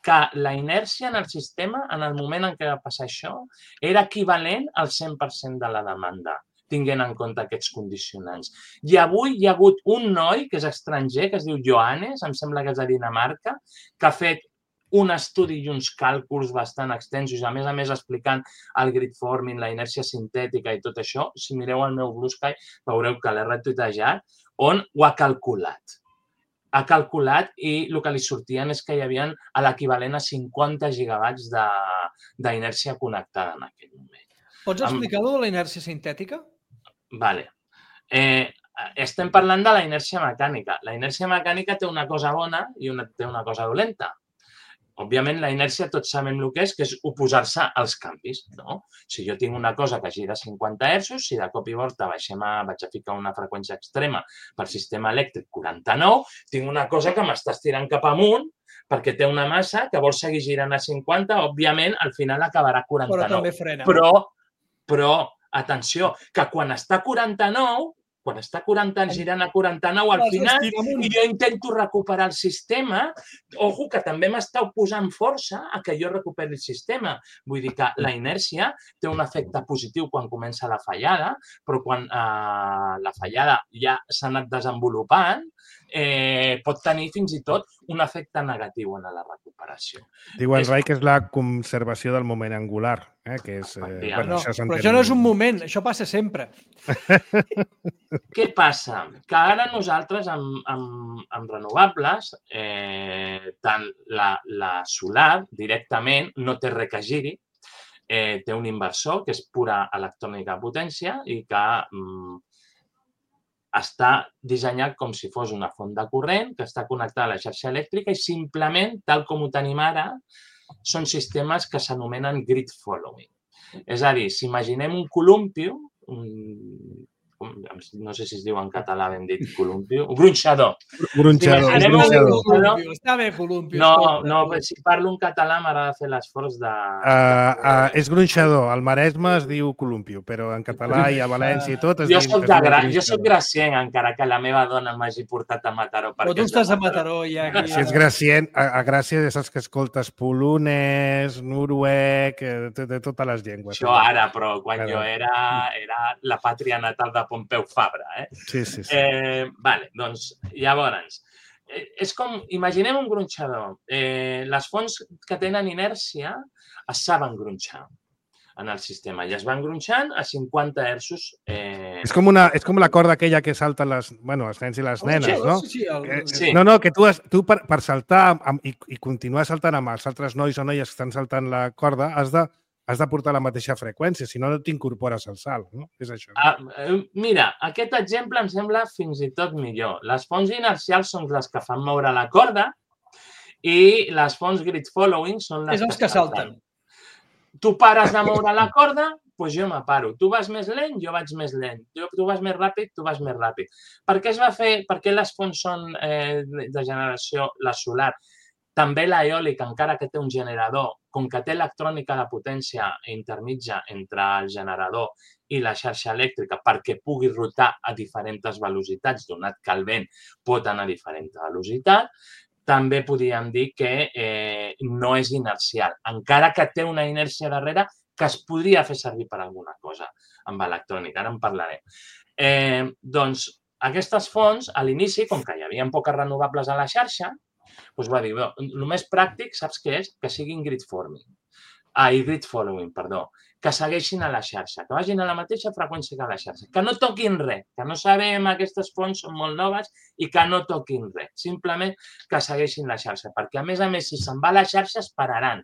que la inèrcia en el sistema, en el moment en què va passar això, era equivalent al 100% de la demanda, tinguent en compte aquests condicionants. I avui hi ha hagut un noi que és estranger, que es diu Johannes, em sembla que és de Dinamarca, que ha fet un estudi i uns càlculs bastant extensos, a més explicant el grid forming, la inèrcia sintètica i tot això. Si mireu el meu Blue Sky, veureu que l'he retuitejat, on ho ha calculat. Ha calculat i el que li sortien és que hi havia l'equivalent a 50 gigawatts d'inèrcia connectada en aquell moment. Pots explicar-ho de la inèrcia sintètica? Vale. Estem parlant de la inèrcia mecànica. La inèrcia mecànica té una cosa bona i té una cosa dolenta. Òbviament, la inèrcia tots sabem el que és oposar-se als canvis. No? Si jo tinc una cosa que gira a 50 hertzos, si de cop i volta vaig a ficar una freqüència extrema per sistema elèctric 49, tinc una cosa que m'està estirant cap amunt perquè té una massa que vol seguir girant a 50, òbviament, al final acabarà a 49. Però també frena. Però, atenció, que quan està a 49, quan està girant a 49 al final i jo intento recuperar el sistema, ojo, que també m'està oposant força a que jo recuperi el sistema. Vull dir que la inèrcia té un efecte positiu quan comença la fallada, però quan la fallada ja s'ha anat desenvolupant, pot tenir fins i tot un efecte negatiu en la recuperació. Diu en Rai que és la conservació del moment angular, que és... Però això no és un moment, això passa sempre. Què passa? Que ara nosaltres amb renovables, tant la solar directament no té res que giri, té un inversor que és pura electrònica de potència i que està dissenyat com si fos una font de corrent que està connectada a la xarxa elèctrica i simplement, tal com ho tenim ara, són sistemes que s'anomenen grid following. És a dir, si imaginem un columpio, no sé si es diu en català ben dit columpio, un gronxador. Està bé, columpio. No, si parlo en català m'agrada fer l'esforç de... És gronxador. Al Maresme es diu columpio, però en català i a València i tot es diu... Jo soc gracient, encara que la meva dona m'hagi portat a Mataró. Però tu estàs a Mataró ja. Si ets gracient, a Gràcia ja saps que escoltes polonès, noruec, de totes les llengües. Això ara, però quan jo era la pàtria natal de Pompeu Fabra. Sí. Vale, doncs, llavors, és com, imaginem un gronxador. Les fonts que tenen inèrcia es saben gronxar en el sistema i es van gronxant a 50 hertzos. És com la corda aquella que salten els nens i les nenes, no? Sí. No, que tu per saltar i continuar saltant amb els altres nois o noies que estan saltant la corda has de portar la mateixa freqüència, si no t'incorpores al salt, no? És això. Mira, aquest exemple em sembla fins i tot millor. Les fonts inercials són les que fan moure la corda i les fonts grid following són les que salten. Tu pares de moure la corda, doncs jo me paro. Tu vas més lent, jo vaig més lent. Tu vas més ràpid, tu vas més ràpid. Per què es va fer? Per què les fonts són de generació, la solar? També l'eòlica, encara que té un generador, com que té electrònica de potència intermitja entre el generador i la xarxa elèctrica perquè pugui rotar a diferents velocitats, donat que el vent pot anar a diferent velocitat, també podríem dir que no és inercial, encara que té una inèrcia darrere que es podria fer servir per alguna cosa amb electrònica. Ara en parlarem. Doncs aquestes fonts, a l'inici, com que hi havia poques renovables a la xarxa, Doncs va dir, el més pràctic, saps què és? Que siguin grid following, que segueixin a la xarxa, que vagin a la mateixa freqüència que a la xarxa, que no toquin res, que no sabem, aquestes fonts són molt noves i que no toquin res, simplement que segueixin la xarxa, perquè a més, si se'n va a la xarxa es pararan.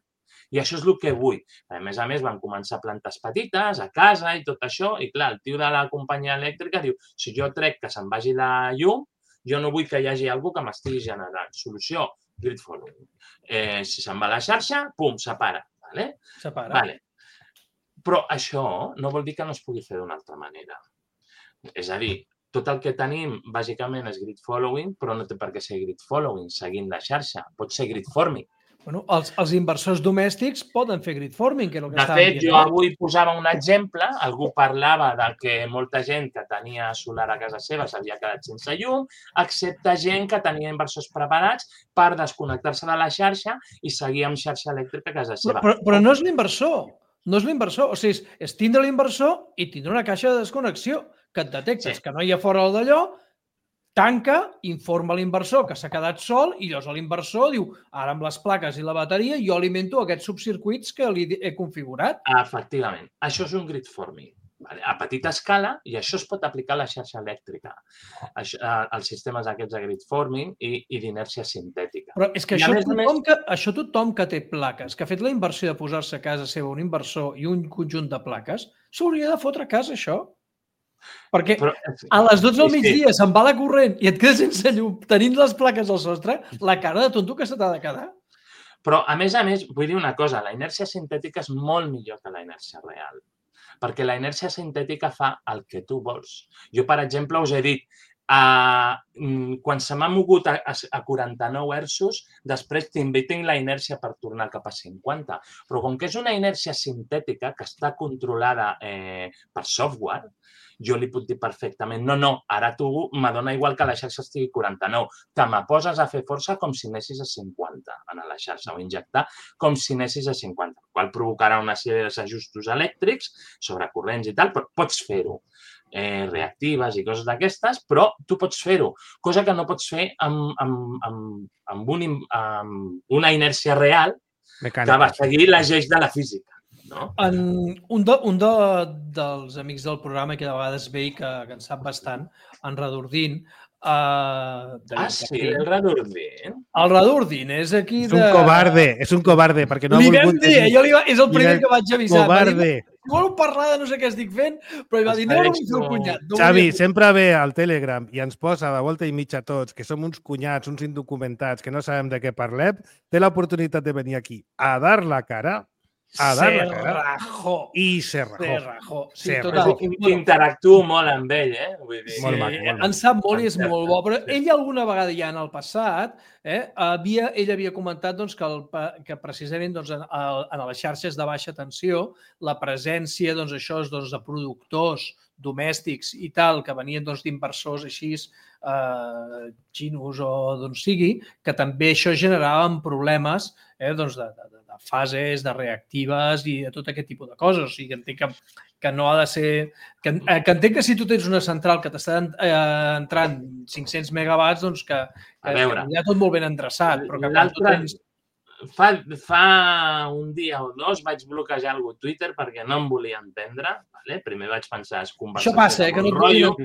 I això és el que vull. A més, van començar plantes petites, a casa i tot això, i clar, el tio de la companyia elèctrica diu, si jo trec que se'n vagi la llum, jo no vull que hi hagi algú que m'estigui generant. Solució, grid following. Si se'n va a la xarxa, pum, separa. Separa. Però això no vol dir que no es pugui fer d'una altra manera. És a dir, tot el que tenim, bàsicament, és grid following, però no té per què ser grid following, seguint la xarxa. Pot ser grid forming. Bueno, els inversors domèstics poden fer grid forming, que és el que estàvem dient. De fet, jo avui posava un exemple, algú parlava de que molta gent que tenia solar a casa seva s'havia quedat sense llum, excepte gent que tenia inversors preparats per desconnectar-se de la xarxa i seguir amb xarxa elèctrica a casa seva. Però no és l'inversor. No és l'inversor. O sigui, és tindre l'inversor i tindre una caixa de desconnexió que et detectes que no hi ha fora d'allò, tanca, informa l'inversor que s'ha quedat sol i llavors l'inversor diu, ara amb les plaques i la bateria jo alimento aquests subcircuits que li he configurat. Efectivament. Això és un grid forming a petita escala i això es pot aplicar a la xarxa elèctrica, als sistemes aquests de grid forming i d'inèrcia sintètica. Però és que això tothom que té plaques, que ha fet la inversió de posar-se a casa seva un inversor i un conjunt de plaques, s'hauria de fotre a casa això. Perquè a les 12 del migdia se'n va la corrent i et quedes sense llum tenint les plaques al sostre, la cara de tonto que se t'ha de quedar. Però, a més, vull dir una cosa, la inèrcia sintètica és molt millor que la inèrcia real, perquè la inèrcia sintètica fa el que tu vols. Jo, per exemple, us he dit, quan se m'ha mogut a 49 hertzos, després també tinc la inèrcia per tornar cap a 50. Però com que és una inèrcia sintètica que està controlada per software, jo li puc dir perfectament, no, ara tu m'adona igual que la xarxa estigui 49, te me poses a fer força com si anessis a 50 en la xarxa o injectar com si anessis a 50, el qual provocarà una sèrie d'ajustos elèctrics sobre corrents i tal, però pots fer-ho. Reactives i coses d'aquestes, però tu pots fer-ho, cosa que no pots fer amb una inèrcia real que va seguir les lleis de la física. No? Un dels amics del programa que de vegades ve i que en sap bastant, en Radurdin. Sí, el Radurdin. El Radurdin és aquí de... És un covarde, perquè no ha volgut... És el primer que vaig avisar. Covarde. Vol parlar de no sé què estic fent, però ell va dir, no vull fer un cunyat. Xavi, sempre ve al Telegram i ens posa de volta i mitja tots, que som uns cunyats, uns indocumentats, que no sabem de què parlem, té l'oportunitat de venir aquí a dar la cara, i se rajó. Sí, total. Interactuo molt amb ell, Vull dir, molt maco. En sap molt i és molt bo, però ell alguna vegada ja en el passat ell havia comentat que precisament en les xarxes de baixa tensió la presència de productors domèstics i tal, que venien d'inversors així, xinos o d'on sigui, que també això generava problemes de fases, de reactives i de tot aquest tipus de coses. O sigui, entenc que no ha de ser... Que entenc que si tu tens una central que t'està entrant 500 megawatts, doncs que ja tot molt ben endreçat. Però que l'altre... Fa un dia o dos vaig bloquejar algú a Twitter perquè no em volia entendre. Primer vaig pensar, és conversació de bon rotllo.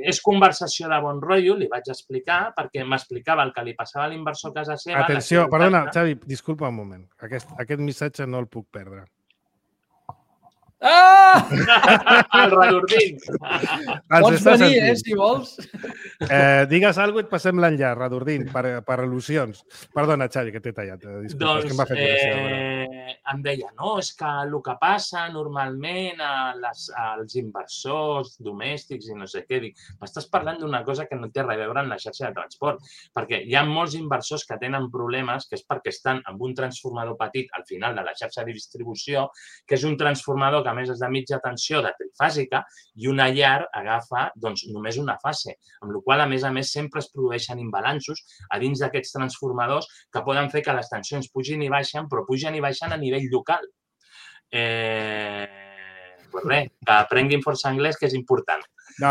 És conversació de bon rotllo, li vaig explicar, perquè m'explicava el que li passava a l'inversor a casa seva. Atenció, perdona, Xavi, disculpa un moment. Aquest missatge no el puc perdre. El Radurdin. Pots venir, si vols. Digues alguna cosa i et passem l'enllaç, Radurdin, per al·lusions. Perdona, Xavi, que t'he tallat. Disculpa, és que em va fer gràcia. Em deia, no, és que el que passa normalment als inversors domèstics i no sé què, dic, m'estàs parlant d'una cosa que no té res a veure amb la xarxa de transport, perquè hi ha molts inversors que tenen problemes que és perquè estan amb un transformador petit al final de la xarxa de distribució, que és un transformador que a més és de mitja tensió de trifàsica i una llar agafa només una fase, amb la qual a més, sempre es produeixen imbalanços a dins d'aquests transformadors que poden fer que les tensions pugin i baixen, però pugen i baixen a nivell local. Pues res, que aprenguin força anglès, que és important. No,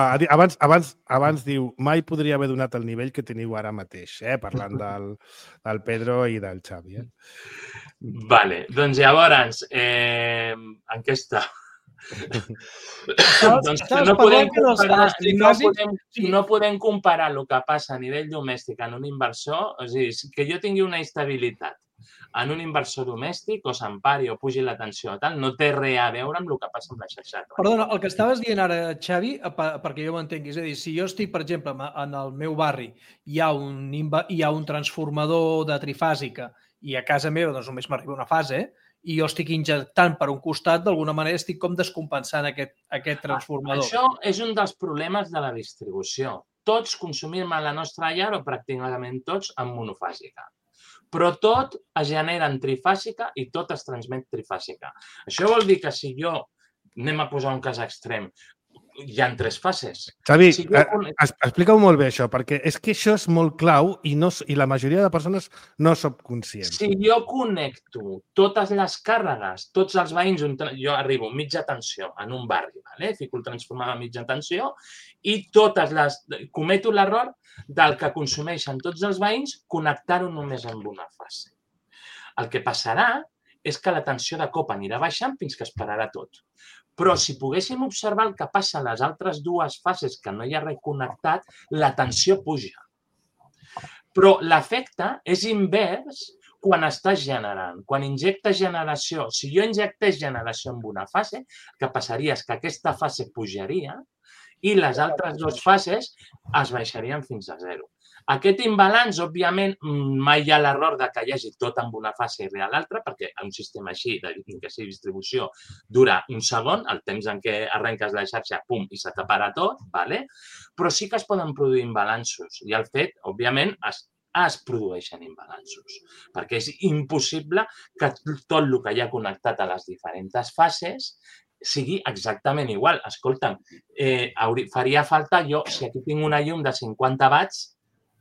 abans diu, mai podria haver donat el nivell que teniu ara mateix, parlant del Pedro i del Xavi. Vale, doncs llavors, en què està? Doncs no podem comparar el que passa a nivell domèstic en un inversor, és a dir, que jo tingui una estabilitat en un inversor domèstic o s'empari o pugi la tensió o tal, no té res a veure amb el que passa amb la xarxa. Perdona, el que estaves dient ara, Xavi, perquè jo m'entengui, és a dir, si jo estic, per exemple, en el meu barri, hi ha un transformador de trifàsica i a casa meva doncs, només m'arriba una fase, i jo estic injectant per un costat, d'alguna manera estic com descompensant aquest transformador. Això és un dels problemes de la distribució. Tots consumim a la nostra llar, o pràcticament tots, en monofàsica. Però tot es genera en trifàsica i tot es transmet trifàsica. Això vol dir que si jo, anem a posar un cas extrem, hi ha 3 fases. Xavi, explica-ho molt bé això, perquè és que això és molt clau i la majoria de persones no som conscients. Si jo connecto totes les càrregues, tots els veïns, jo arribo a mitja tensió en un barri, fico el transformador a mitja tensió i cometo l'error del que consumeixen tots els veïns connectar-ho només amb una fase. El que passarà és que la tensió de cop anirà baixant fins que es pararà tot. Però si poguéssim observar el que passa a les altres 2 fases que no hi ha res connectat, la tensió puja. Però l'efecte és invers quan estàs generant. Quan injectes generació, si jo injectés generació en una fase, el que passaria és que aquesta fase pujaria i les altres 2 fases es baixarien fins a 0. Aquest imbalanç, òbviament, mai hi ha l'error que hi hagi tot en una fase i a l'altra, perquè un sistema així, que sigui distribució, dura un segon, el temps en què arrenques la xarxa, pum, i se t'apara tot, però sí que es poden produir imbalanços. I el fet, òbviament, es produeixen imbalanços, perquè és impossible que tot el que hi ha connectat a les diferents fases sigui exactament igual. Escolta'm, faria falta jo, si aquí tinc una llum de 50 watts,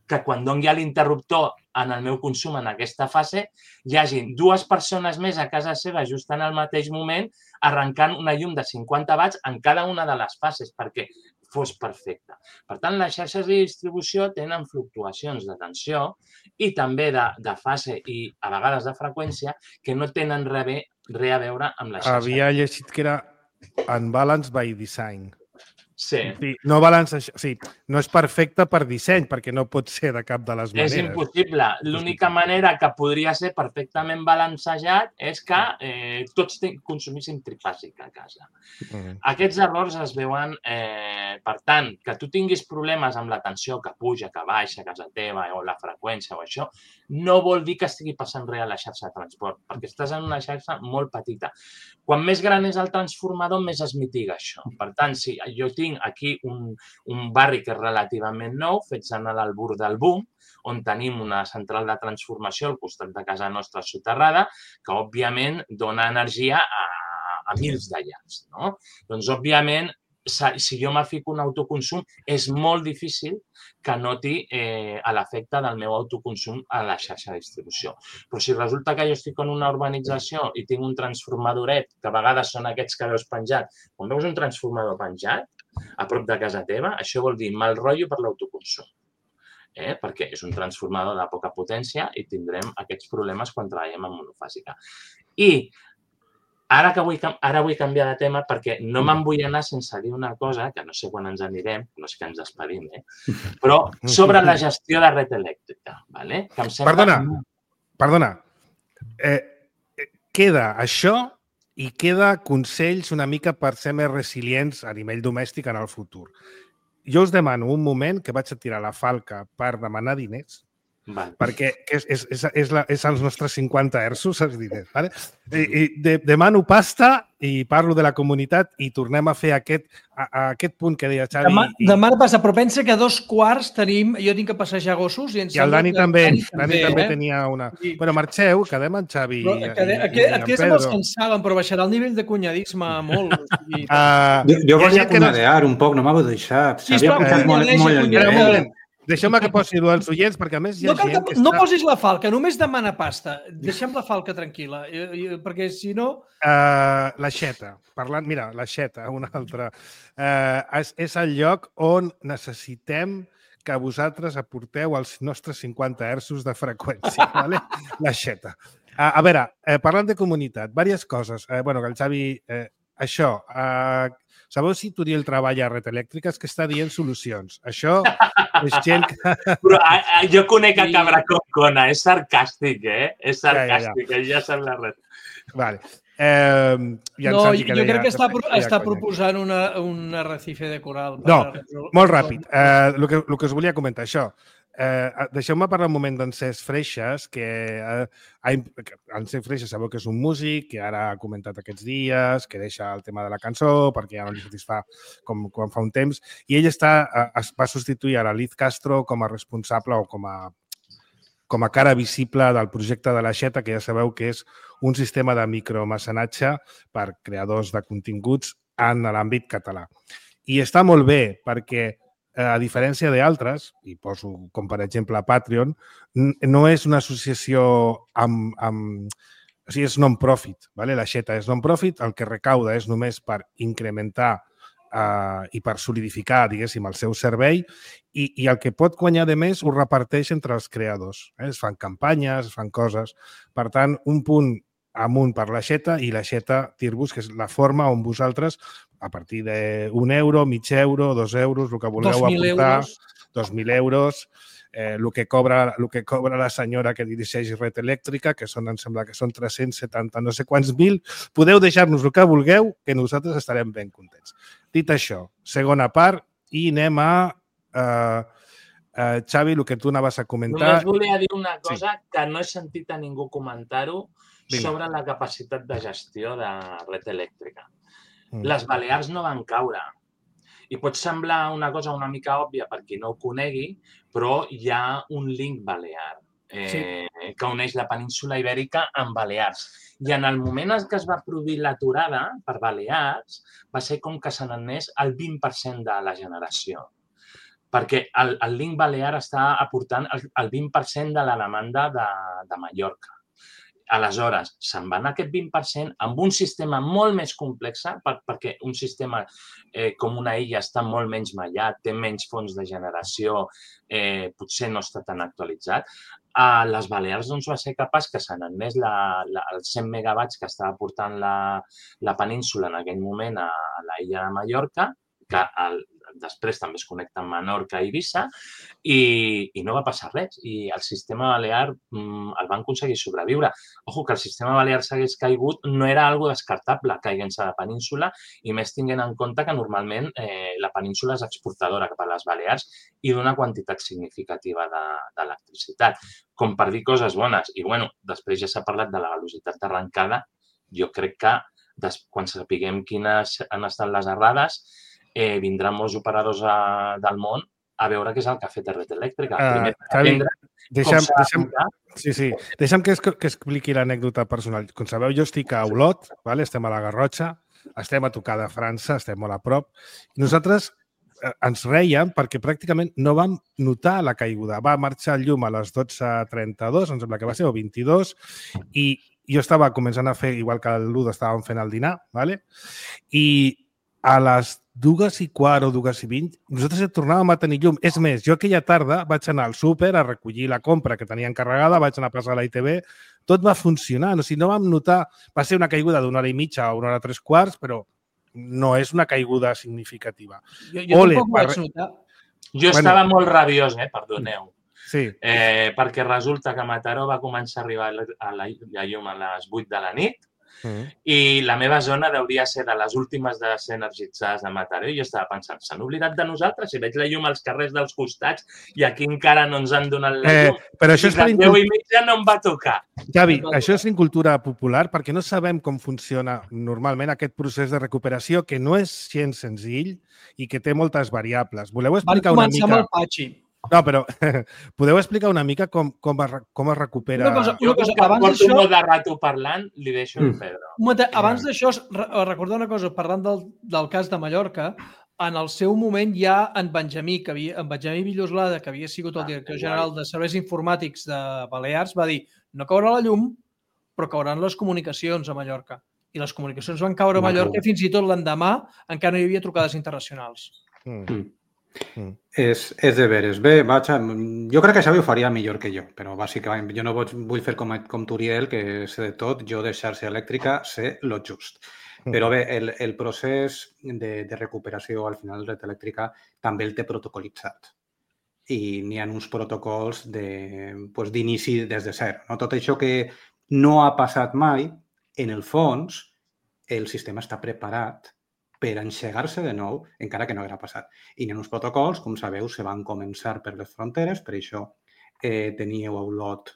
que quan doni l'interruptor en el meu consum en aquesta fase, hi hagi 2 persones més a casa seva just en el mateix moment arrencant una llum de 50 watts en cada una de les fases perquè fos perfecte. Per tant, les xarxes de distribució tenen fluctuacions de tensió i també de fase i a vegades de freqüència que no tenen res a veure amb la xarxa. Havia llegit que era unbalanced by design. Sí. No és perfecte per disseny, perquè no pot ser de cap de les maneres. És impossible. L'única manera que podria ser perfectament balancejat és que tots consumissin trifàsic a casa. Aquests errors es veuen, per tant, que tu tinguis problemes amb la tensió que puja, que baixa a casa teva o la freqüència o això, no vol dir que estigui passant res a la xarxa de transport, perquè estàs en una xarxa molt petita. Quan més gran és el transformador, més es mitiga això. Per tant, si jo tinc aquí un barri que és relativament nou, fets en l'albur del boom, on tenim una central de transformació al costat de casa nostra soterrada, que, òbviament, dona energia a mils de llars. Doncs, òbviament, si jo me fico un autoconsum, és molt difícil que noti l'efecte del meu autoconsum a la xarxa de distribució. Però si resulta que jo estic en una urbanització i tinc un transformadoret, que a vegades són aquests que veus penjat, quan veus un transformador penjat a prop de casa teva, això vol dir mal rotllo per l'autoconsum. Perquè és un transformador de poca potència i tindrem aquests problemes quan treballem en monofàsica. I ara vull canviar de tema perquè no me'n vull anar sense dir una cosa, que no sé quan ens anirem, no és que ens despedim, però sobre la gestió de red elèctrica. Perdona. Queda això i queda consells una mica per ser més resilients a nivell domèstic en el futur. Jo us demano un moment que vaig a tirar la falca per demanar diners, perquè és els nostres 50 hertzos, els diners. Demano pasta i parlo de la comunitat i tornem a fer aquest punt que deia Xavi. Demà passa, però pensa que a 2:15 tenim... Jo tinc que passejar gossos i el Dani també. Dani també tenia una... Bueno, marxeu, quedem amb Xavi i en Pedro. Aquests me'ls cansaven, però baixarà el nivell de cunyadisme molt. Jo volia cuñadear un poc, no m'heu deixat. Sisplau, cuñadeix. Deixeu-me que posi els oients, perquè a més hi ha gent que No posis la falca, només demana pasta. Deixem la falca tranquil·la, perquè si no... L'aixeta, parlant... Mira, l'aixeta, una altra. És el lloc on necessitem que vosaltres aporteu els nostres 50 hertzos de freqüència, ¿vale? L'aixeta. A veure, parlant de comunitat, diverses coses. Bueno, que el Xavi... Això... Sabeu si Turiel treballa a Red Elèctrica? És que està dient solucions. Això és gent que... Però jo conec a Cabra Concona, és sarcàstic, És sarcàstic, ja sap la red. Vale. No, jo crec que està proposant un arrecife de coral. No, molt ràpid. El que us volia comentar, això. Deixeu-me parlar un moment d'en Cesc Freixas, que en Cesc Freixas sabeu que és un músic, que ara ha comentat aquests dies, que deixa el tema de la cançó perquè ja no li satisfà com quan fa un temps, i ell va substituir a la Liz Castro com a responsable o com a cara visible del projecte de l'Aixeta, que ja sabeu que és un sistema de micromecenatge per creadors de continguts en l'àmbit català. I està molt bé perquè a diferència d'altres, i poso com per exemple Patreon, no és una associació o sigui, és non-profit, ¿vale? L'Aixeta és non-profit, el que recauda és només per incrementar i per solidificar, diguéssim, el seu servei i el que pot guanyar de més ho reparteix entre els creadors. Es fan campanyes, es fan coses. Per tant, un punt amunt per l'Aixeta i l'Aixeta Tirbus, que és la forma on vosaltres, a partir d'un euro, mig euro, 2 euros, el que vulgueu aportar, 2.000 euros, el que cobra la senyora que dirigeix Red Elèctrica, que em sembla que són 370 no sé quants mil, podeu deixar-nos el que vulgueu, que nosaltres estarem ben contents. Dit això, segona part, i anem a... Xavi, el que tu anaves a comentar... Només volia dir una cosa que no he sentit a ningú comentar-ho sobre la capacitat de gestió de Red Elèctrica. Les Balears no van caure. I pot semblar una cosa una mica òbvia per qui no ho conegui, però hi ha un link balear que uneix la península Ibèrica amb Balears. I en el moment en què es va produir l'aturada per Balears, va ser com que se n'anés el 20% de la generació. Perquè el link balear està aportant el 20% de la demanda de Mallorca. Aleshores, se'n va anar aquest 20% amb un sistema molt més complex, perquè un sistema com una illa està molt menys mallat, té menys fonts de generació, potser no està tan actualitzat. A les Balears va ser capaç que se n'anés els 100 megawatts que estava portant la península en aquell moment a la illa de Mallorca, que després també es connecta amb Menorca i Eivissa, i no va passar res. I el sistema balear el van aconseguir sobreviure. Ojo, que el sistema balear s'hagués caigut no era algo descartable, caiguent-se a la península, i més tinguent en compte que normalment la península és exportadora cap a les Balears i d'una quantitat significativa d'electricitat. Com per dir coses bones. I, bueno, després ja s'ha parlat de la velocitat d'arrencada. Jo crec que quan sapiguem quines han estat les errades, vindran molts operadors del món a veure què és el que ha fet Red Elèctrica. Deixa'm que expliqui l'anècdota personal. Com sabeu, jo estic a Olot, estem a la Garrotxa, estem a tocar de França, estem molt a prop. Nosaltres ens rèiem perquè pràcticament no vam notar la caiguda. Va marxar el llum a les 12:32, em sembla que va ser, o 22, i jo estava començant a fer, igual que l'1 estàvem fent el dinar, i a les 2:15 o 2:20, nosaltres tornàvem a tenir llum. És més, jo aquella tarda vaig anar al súper a recollir la compra que tenia encarregada, vaig anar a passar a la ITV, tot va funcionar. O sigui, no vam notar... Va ser una caiguda d'1 hora i mitja o 1 hora 3/4, però no és una caiguda significativa. Jo tampoc vaig notar. Jo estava molt rabiós, perdoneu. Sí. Perquè resulta que Mataró va començar a arribar a la llum a les 8 de la nit, i la meva zona hauria de ser de les últimes de ser energitzades de Mataró, i jo estava pensant, s'han oblidat de nosaltres? Si veig la llum als carrers dels costats i aquí encara no ens han donat la llum. Però això és per 10:30 no em va tocar. Xavi, això és incultura popular perquè no sabem com funciona normalment aquest procés de recuperació, que no és gens senzill i que té moltes variables. Voleu explicar una mica... Van començar amb el patxi. No, però podeu explicar una mica com es recupera... Jo que porto molt de rato parlant, li deixo el Pedro. Abans d'això, recordar una cosa, parlant del cas de Mallorca, en el seu moment ja en Benjamí Villoslada, que havia sigut el director general de Serveis Informàtics de Balears, va dir no caurà la llum, però cauran les comunicacions a Mallorca. I les comunicacions van caure a Mallorca i fins i tot l'endemà encara no hi havia trucades internacionals. És de veres. Bé, jo crec que Xavi ho faria millor que jo, però bàsicament jo no vull fer com Turiel, que sé de tot, jo de xarxa elèctrica sé lo just. Però bé, el procés de recuperació al final de red elèctrica també el té protocolitzat. I n'hi ha uns protocols d'inici des de zero. Tot això que no ha passat mai, en el fons, el sistema està preparat per engegar-se de nou, encara que no haguera passat. I en uns protocols, com sabeu, se van començar per les fronteres, per això teníeu a Olot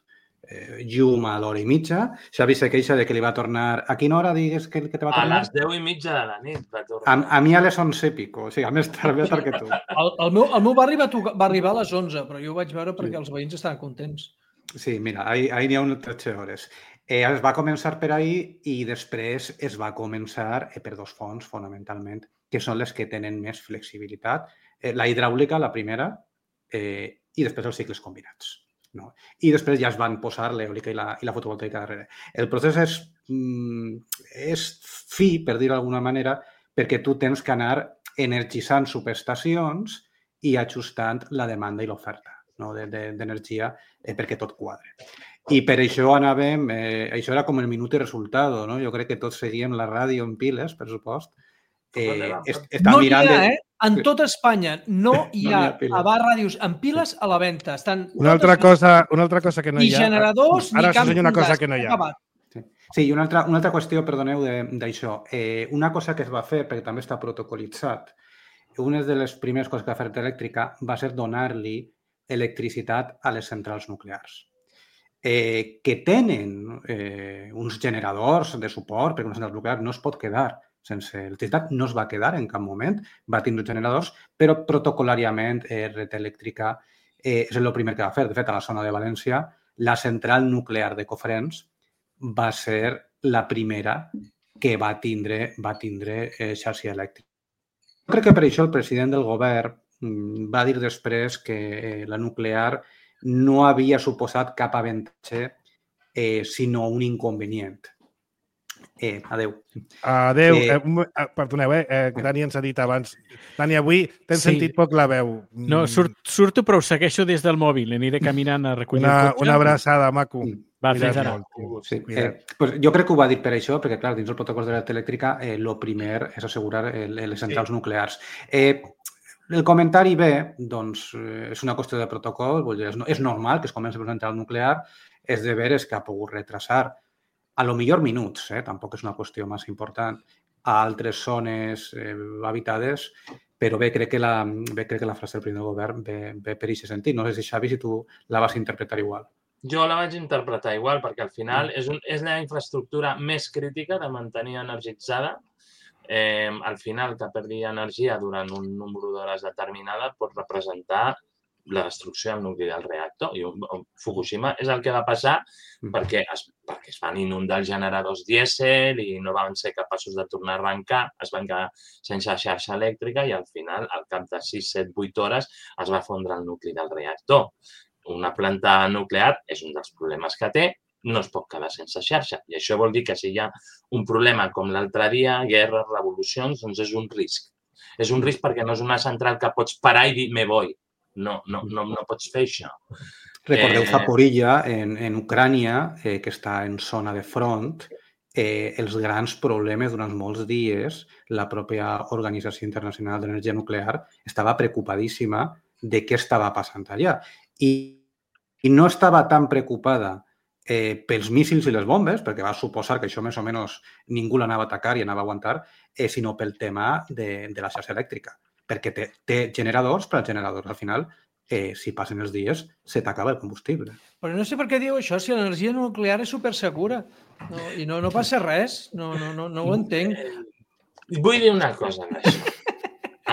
llum a l'hora i mitja. Xavi se queixa de que li va tornar... A quina hora digues que te va tornar? A les 10:30 de la nit va tornar. A mi a les 11 i pico, o sigui, a més tard que tu. El meu barri va arribar a les 11, però jo ho vaig veure perquè els veïns estaven contents. Sí, mira, ahir n'hi ha unes 13 hores. Es va començar per ahir i després es va començar per dos fonts, fonamentalment, que són les que tenen més flexibilitat. La hidràulica, la primera, i després els cicles combinats. No? I després ja es van posar l'eòlica i la fotovoltaica darrere. El procés és fi, per dir-ho d'alguna manera, perquè tu tens que anar energitzant subestacions i ajustant la demanda i l'oferta d'energia perquè tot quadre. I per això anàvem... això era com el minut i resultat. No? Jo crec que tots seguíem la ràdio en piles, per supost. No hi ha, en tota Espanya no hi ha ràdios en piles a la venda. Una altra cosa que no hi ha... Ni generadors, ni ara camps una cosa que no hi ha. Sí, i una altra qüestió, perdoneu, d'això. Una cosa que es va fer, perquè també està protocolitzat, una de les primeres coses que va fer Elèctrica va ser donar-li electricitat a les centrals nuclears. Que tenen uns generadors de suport, perquè una central nuclear no es pot quedar sense electricitat, no es va quedar en cap moment, va tindre generadors, però protocolàriament Red Elèctrica és el primer que va fer. De fet, a la zona de València, la central nuclear de Cofrents va ser la primera que va tindre xarxa elèctrica. Crec que per això el president del govern va dir després que la nuclear no havia suposat cap avantatge, sinó un inconvenient. Adéu. Adéu. Perdoneu, Dani ens ha dit abans. Dani, avui t'hem sentit poc la veu. No, surto, però ho segueixo des del mòbil. Aniré caminant a recollir el cotxe. Una abraçada, maco. Va, fins ara. Jo crec que ho va dir per això, perquè, clar, dins el protocol de l'energia elèctrica, el primer és assegurar les centrals nuclears. El comentari B, doncs, és una qüestió de protocol, és normal que es comenci per una central nuclear, és de veres que ha pogut retrasar a lo millor minuts, tampoc és una qüestió massa important, a altres zones habitades, però bé, crec que la frase del primer govern ve per aquest sentit. No sé si, Xavi, si tu la vas interpretar igual. Jo la vaig interpretar igual, perquè al final és la infraestructura més crítica de mantenir energitzada. Al final, que perdi energia durant un número d'hores determinada pot representar la destrucció del nucli del reactor. I Fukushima és el que va passar perquè es van inundar els generadors dièsel i no van ser capaços de tornar a arrencar, es van quedar sense xarxa elèctrica i al final, al cap de 6, 7, 8 hores, es va fondre el nucli del reactor. Una planta nuclear és un dels problemes que té, no es pot quedar sense xarxa. I això vol dir que si hi ha un problema com l'altre dia, guerres, revolucions, doncs és un risc. És un risc perquè no és una central que pots parar i dir me voy. No pots fer això. Recordeu Zaporizhzhia, en Ucrània, que està en zona de front, els grans problemes durant molts dies, la pròpia Organització Internacional d'Energia Nuclear estava preocupadíssima de què estava passant allà. I no estava tan preocupada pels míssils i les bombes, perquè va suposar que això més o menys ningú l'anava a atacar i anava a aguantar, sinó pel tema de la xarxa elèctrica. Perquè té generadors, però els generadors al final, si passen els dies, se t'acaba el combustible. Però no sé per què diu això, si l'energia nuclear és supersegura i no passa res, no ho entenc. Vull dir una cosa d'això.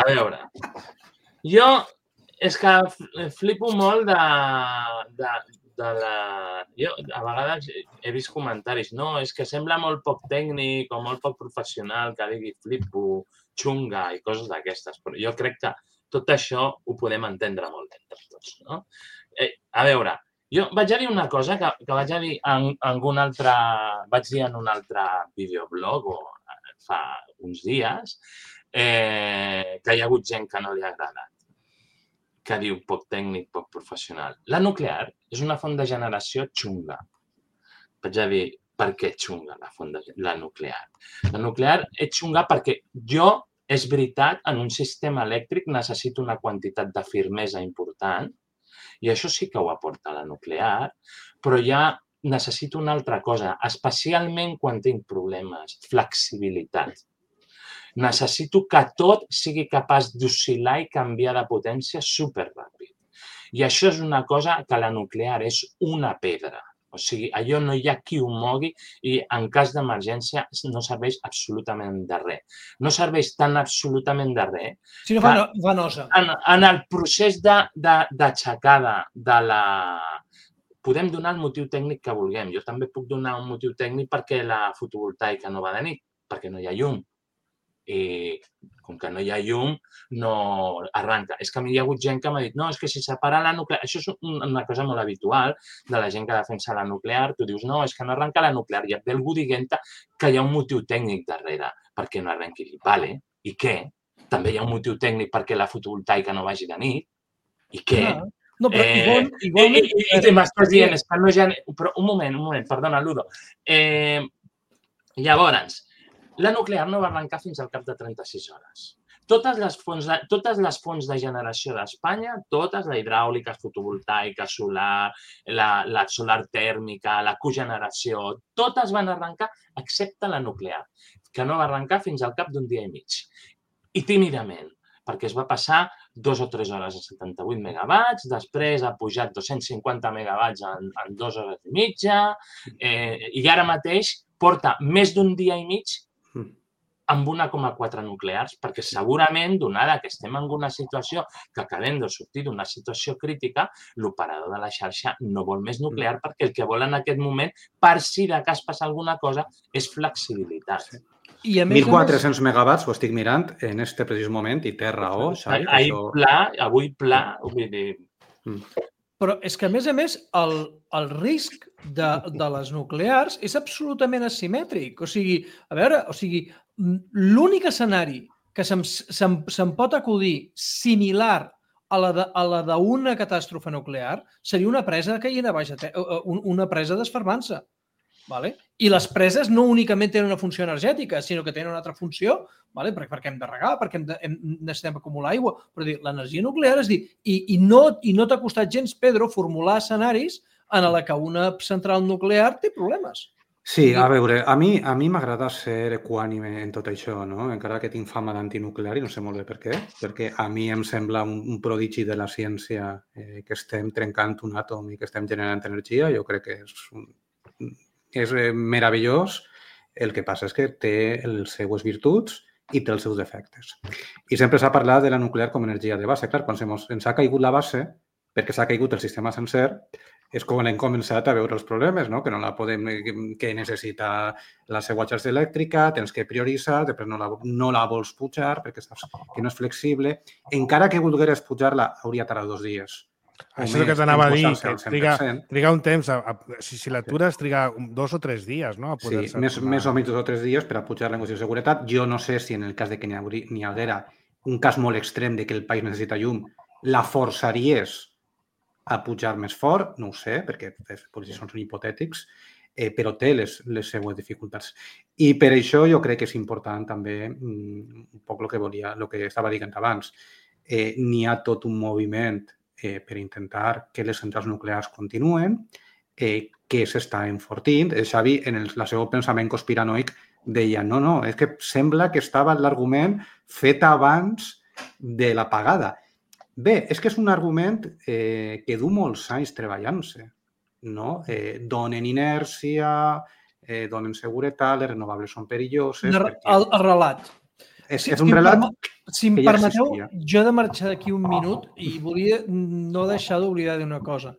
A veure, jo és que flipo molt Jo a vegades he vist comentaris, no, és que sembla molt poc tècnic o molt poc professional que digui flipo, xunga i coses d'aquestes, però jo crec que tot això ho podem entendre molt bé entre tots, no? A veure, jo vaig a dir una cosa que vaig a dir vaig dir en un altre videoblog fa uns dies, que hi ha hagut gent que no li ha agradat, que diu poc tècnic, poc professional. La nuclear és una font de generació xunga. Vaig a dir, per què xunga la nuclear? La nuclear és xunga perquè és veritat, en un sistema elèctric necessito una quantitat de firmesa important, i això sí que ho aporta la nuclear, però ja necessito una altra cosa, especialment quan tinc problemes, flexibilitat. Necessito que tot sigui capaç d'oscil·lar i canviar de potència superràpid. I això és una cosa que la nuclear és una pedra. O sigui, allò no hi ha qui ho mogui i en cas d'emergència no serveix absolutament de res. No serveix tan absolutament de res. Si no fa nosa. En el procés d'aixecada de la... Podem donar el motiu tècnic que vulguem. Jo també puc donar un motiu tècnic perquè la fotovoltaica no va de nit, perquè no hi ha llum. I com que no hi ha llum, no arranca. És que a mi hi ha hagut gent que m'ha dit no, és que si separa la nuclear... Això és una cosa molt habitual de la gent que defensa la nuclear. Tu dius, no, és que no arranca la nuclear. I et ve algú dient que hi ha un motiu tècnic darrere perquè no arrenqui. Vale, i què? També hi ha un motiu tècnic perquè la fotovoltaica no vagi de nit. I què? No, però igualment... I m'estàs dient, és que no hi ha... Però un moment, perdona, Ludo. Llavors, la nuclear no va arrencar fins al cap de 36 hores. Totes les fonts de generació d'Espanya, totes, la hidràulica, fotovoltaica, solar, la solar tèrmica, la cogeneració, totes van arrencar excepte la nuclear, que no va arrencar fins al cap d'un dia i mig. I tímidament, perquè es va passar 2 o 3 hores a 78 megawatts, després ha pujat 250 megawatts en 2 hores i mitja, i ara mateix porta més d'un dia i mig amb 1,4 nuclears, perquè segurament, donada que estem en una situació que acabem de sortir d'una situació crítica, l'operador de la xarxa no vol més nuclear perquè el que vol en aquest moment, per si de cas passa alguna cosa, és flexibilitat. 1.400 megawatts, ho estic mirant en este precís moment i té raó, Xavi. Avui pla, vull dir... Però és que, a més, el risc de les nuclears és absolutament asimètric. O sigui, l'únic escenari que se'm pot acudir similar a la d'una catàstrofe nuclear seria una presa caient a baixa, una presa desfermant-se. I les preses no únicament tenen una funció energètica, sinó que tenen una altra funció, perquè hem de regar, perquè necessitem acumular aigua. Però l'energia nuclear, i no t'ha costat gens, Pedro, formular escenaris en la que una central nuclear té problemes. Sí, a veure, a mi m'agrada ser equànime en tot això, no? Encara que tinc fama d'antinuclear i no sé molt bé per què, perquè a mi em sembla un prodigi de la ciència que estem trencant un àtom i que estem generant energia. Jo crec que és meravellós. El que passa és que té les seues virtuts i té els seus defectes. I sempre s'ha parlat de la nuclear com a energia de base. Clar, quan ens ha caigut la base, perquè s'ha caigut el sistema sencer, és com hem començat a veure els problemes, no? Que no la podem, que necessita la seva xarxa elèctrica, tens que prioritzar, després no la vols pujar perquè saps que no és flexible. Encara que volgueres pujar-la, hauria tardat 2 dies. Això és el que t'anava a dir, que triga un temps. Si l'atures, triga 2 o 3 dies, no? Sí, més o menys 2 o 3 dies per a pujar-la en qüestió de seguretat. Jo no sé si en el cas de que n'hi haguera un cas molt extrem de que el país necessita llum, la forçaries a pujar més fort, no ho sé, perquè són hipotètics, però té les seues dificultats. I per això jo crec que és important també un poc el que estava dient abans. N'hi ha tot un moviment per intentar que les centrals nuclears continuen, que s'està enfortint. Xavi, en el seu pensament conspiranoic, deia no, és que sembla que estava l'argument fet abans de l'apagada. Bé, és que és un argument que du molts anys treballant-se, no? Donen inèrcia, donen seguretat, les renovables són perilloses... El relat. És un relat si em permeteu, jo he de marxar d'aquí un minut i volia no deixar d'oblidar d'una cosa.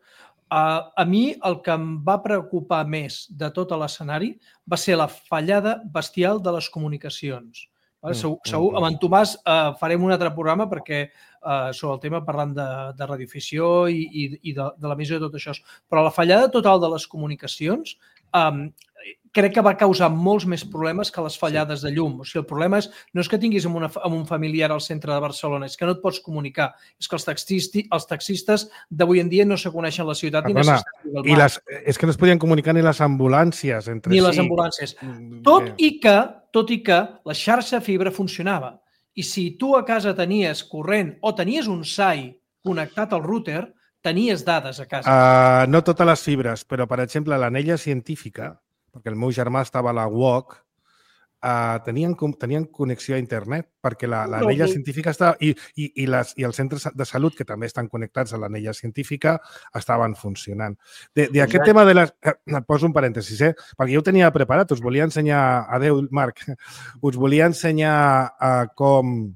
A mi el que em va preocupar més de tot l'escenari va ser la fallada bestial de les comunicacions. Segur, amb en Tomàs farem un altre programa perquè sobre el tema parlant de radioafició i de l'emissió de tot això. Però la fallada total de les comunicacions crec que va causar molts més problemes que les fallades de llum. O sigui, el problema no és que tinguis amb un familiar al centre de Barcelona, és que no et pots comunicar. És que els taxistes d'avui en dia no se coneixen la ciutat ni necessiten el mar. És que no es podien comunicar ni les ambulàncies entre si. Ni les ambulàncies. Tot i que la xarxa fibra funcionava. I si tu a casa tenies corrent o tenies un SAI connectat al router, tenies dades a casa. No totes les fibres, però, per exemple, l'anella científica, perquè el meu germà estava a la UOC, tenien connexió a internet, perquè l'anella científica estava... I els centres de salut, que també estan connectats a l'anella científica, estaven funcionant. D'aquest tema de les... Et poso un parèntesis, perquè jo ho tenia preparat, us volia ensenyar... Adéu, Marc. Us volia ensenyar com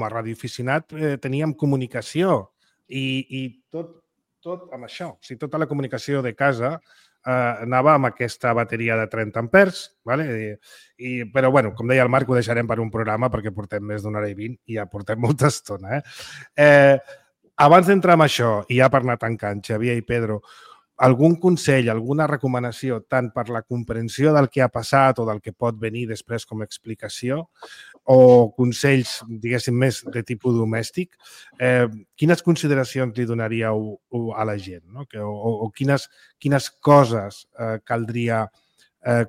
a radioaficionat teníem comunicació i tot amb això. O sigui, tota la comunicació de casa anava amb aquesta bateria de 30 amperes, però, com deia el Marc, ho deixarem per un programa perquè portem més d'una hora i 20 i ja portem molta estona. Abans d'entrar en això, i ja per anar tancant, Xavier i Pedro, algun consell, alguna recomanació, tant per la comprensió del que ha passat o del que pot venir després com a explicació, o consells, diguéssim, més de tipus domèstic, quines consideracions li donaríeu a la gent? O quines coses caldria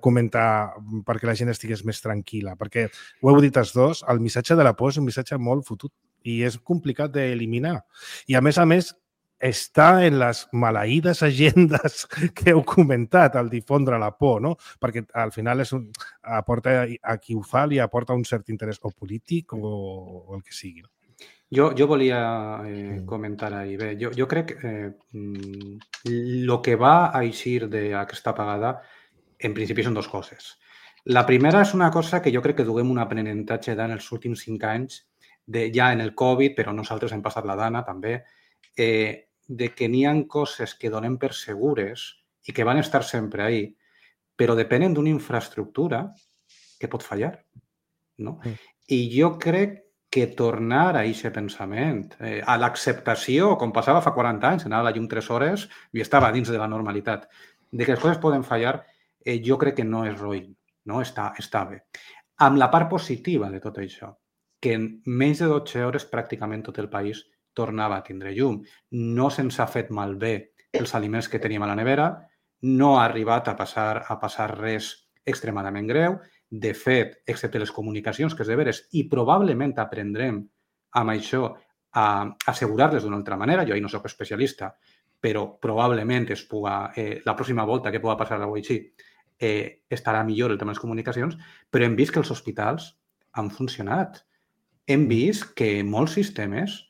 comentar perquè la gent estigués més tranquil·la? Perquè ho heu dit els dos, el missatge de la por és un missatge molt fotut i és complicat d'eliminar. I a més, està en les maleïdes agendes que heu comentat, el difondre la por, no? Perquè al final aporta a qui ho fa, li aporta un cert interès o polític o el que sigui. Jo volia comentar ahí. Bé, jo crec que el que va a eixir d'aquesta apagada en principi són dues coses. La primera és una cosa que jo crec que duguem un aprenentatge en els últims 5 anys, ja en el Covid, però nosaltres hem passat la dana també, de que n'hi ha coses que donem per segures i que van estar sempre ahí, però depenen d'una infraestructura que pot fallar. No? I jo crec que tornar a aquest pensament, a l'acceptació, com passava fa 40 anys, anava a la llum 3 hores i estava dins de la normalitat, de que les coses poden fallar, jo crec que no és roïn, no? Està bé. Amb la part positiva de tot això, que en menys de 12 hores pràcticament tot el país tornava a tindre llum. No se'ns ha fet malbé els aliments que teníem a la nevera, no ha arribat a passar res extremadament greu. De fet, excepte les comunicacions, que és de veres, i probablement aprendrem amb això a assegurar-les d'una altra manera. Jo ahir no soc especialista, però probablement la pròxima volta que pugui passar avui així estarà millor el tema de les comunicacions, però hem vist que els hospitals han funcionat. Hem vist que molts sistemes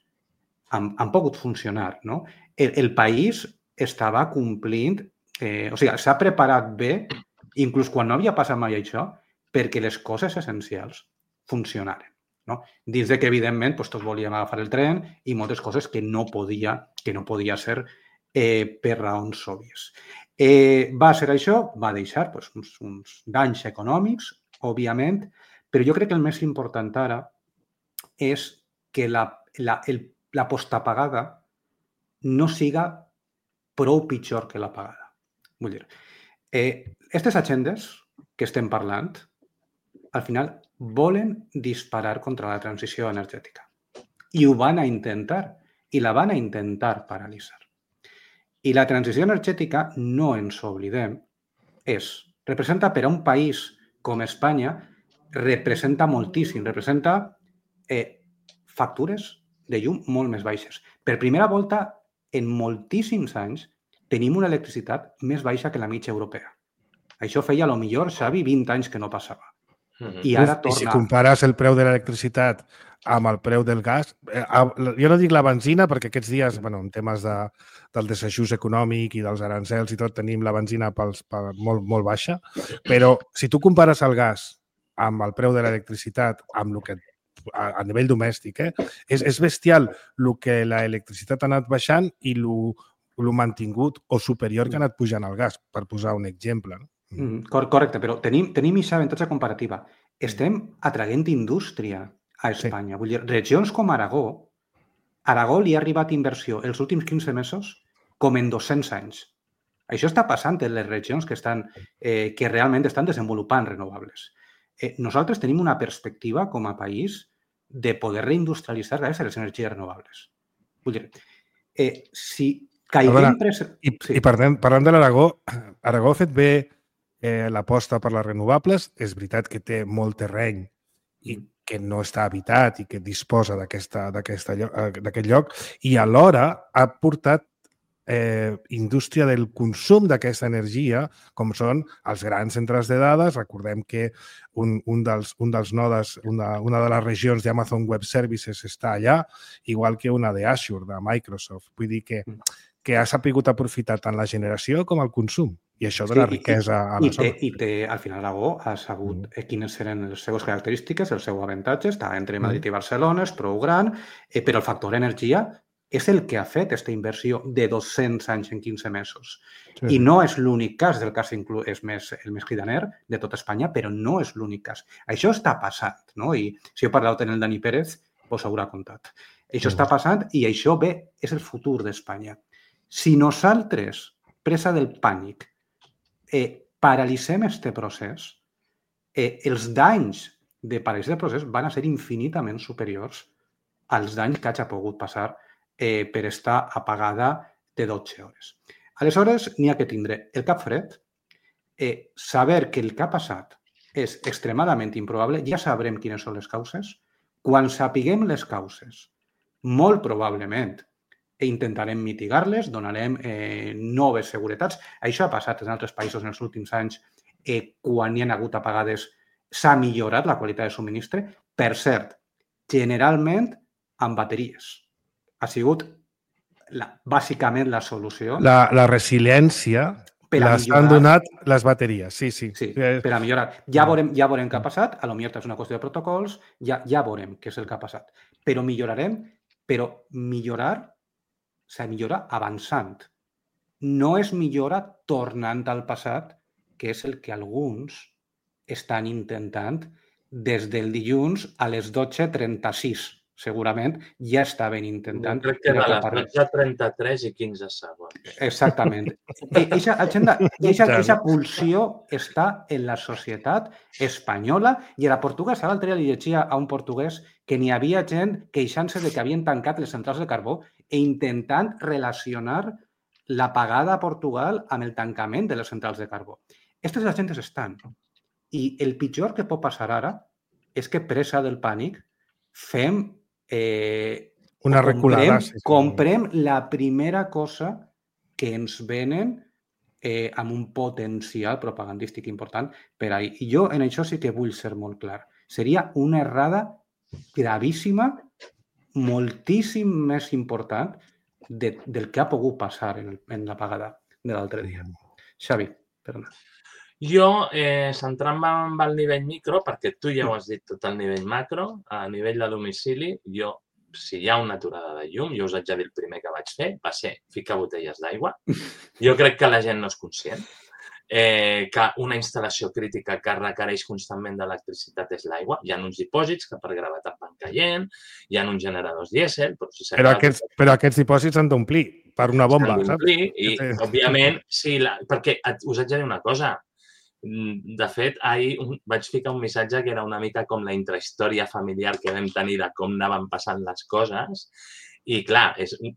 han pogut funcionar. No? El país estava complint, s'ha preparat bé, inclús quan no havia passat mai això, perquè les coses essencials funcionaren. No? Dins de que, evidentment, tots volíem agafar el tren i moltes coses que no podia ser per raons òbvies. Va ser això, va deixar uns danys econòmics, òbviament, però jo crec que el més important ara és que la postapagada no siga prou pitjor que l'apagada. Vull dir, aquestes agendes que estem parlant, al final volen disparar contra la transició energètica. I ho van a intentar, i la van a intentar paralitzar. I la transició energètica, no ens oblidem, representa per a un país com Espanya, representa moltíssim, representa factures de llum molt més baixes. Per primera volta, en moltíssims anys, tenim una electricitat més baixa que la mitja europea. Això feia, a lo millor, Xavi, 20 anys que no passava. I ara torna... I si compares el preu de l'electricitat amb el preu del gas, jo no dic la benzina, perquè aquests dies, en temes del desajust econòmic i dels arancels i tot, tenim la benzina molt baixa, però si tu compares el gas amb el preu de l'electricitat, amb el que a nivell domèstic, és bestial el que l'electricitat ha anat baixant i el el mantingut o superior que ha anat pujant el gas, per posar un exemple. No? Correcte, però tenim aquest avantatge comparativa. Estem atraient indústria a Espanya. Vull dir, regions com Aragó li ha arribat inversió els últims 15 mesos com en 200 anys. Això està passant en les regions que realment estan desenvolupant renovables. Nosaltres tenim una perspectiva com a país de poder reindustrialitzar gràcies a les energies renovables. Vull dir, si caiguem... I parlem de l'Aragó. Aragó ha fet bé l'aposta per les renovables. És veritat que té molt terreny i que no està habitat i que disposa d'aquest lloc, i alhora ha portat indústria del consum d'aquesta energia, com són els grans centres de dades. Recordem que un dels nodes, una de les regions d'Amazon Web Services està allà, igual que una d'Azure, de Microsoft. Vull dir que ha sabut aprofitar tant la generació com el consum. I això dona riquesa a la zona. I al final Aragó ha sabut quines eren les seves característiques, els seus avantatges. Està entre Madrid i Barcelona, és prou gran, però el factor energia és el que ha fet aquesta inversió de 200 anys en 15 mesos. I no és l'únic cas, el cas és el més cridaner de tot Espanya, però no és l'únic cas. Això està passant, no? I si heu parlat amb el Dani Pérez, us haurà contat. Això està passant i això és el futur d'Espanya. Si nosaltres, presa del pànic, paralitzem aquest procés, els danys de paralitzar el procés van a ser infinitament superiors als danys que hagi pogut passar per estar apagada de 12 hores. Aleshores, n'hi ha que tindre el cap fred, saber que el que ha passat és extremadament improbable, ja sabrem quines són les causes. Quan sapiguem les causes, molt probablement intentarem mitigar-les, donarem noves seguretats. Això ha passat en altres països en els últims anys. Quan hi ha hagut apagades s'ha millorat la qualitat de subministre. Per cert, generalment amb bateries. Ha sigut bàsicament la solució. La resiliència les han donat les bateries, sí. Sí, per a millorar. Ja veurem què ha passat, potser és una qüestió de protocols, ja veurem què és el que ha passat. Però millorarem, però millorar s'ha de millorar avançant. No es millora tornant al passat, que és el que alguns estan intentant des del dilluns a les 12:36. Segurament ja estaven intentant... Crec que era a les 33 i 15 segons. Exactament. Aquesta pulsió està en la societat espanyola i a la portuguesa. L'altre dia li llegia a un portuguès que n'hi havia gent queixant-se de que havien tancat les centrals de carbó i intentant relacionar l'apagada a Portugal amb el tancament de les centrals de carbó. Aquestes agents estan. I el pitjor que pot passar ara és que, presa del pànic, fem una reculada. Comprem la primera cosa que ens venen amb un potencial propagandístic important per ahir. I jo en això sí que vull ser molt clar. Seria una errada gravíssima, moltíssim més important del que ha pogut passar en l'apagada de l'altre dia. Xavi, perdona. Jo, centrant-me en el nivell micro, perquè tu ja ho has dit tot el nivell macro, a nivell de domicili, si hi ha una aturada de llum, jo us haig de dir el primer que vaig fer va ser ficar botelles d'aigua. Jo crec que la gent no és conscient que una instal·lació crítica que requereix constantment d'electricitat és l'aigua. Hi ha uns dipòsits que per gravetat van caient, hi ha uns generadors dièsel... Però aquests dipòsits han d'omplir per una bomba, saps? I, òbviament, sí, perquè us haig de dir una cosa. De fet, ahir vaig ficar un missatge que era una mica com la intrahistòria familiar que vam tenir de com anaven passant les coses. I, clar,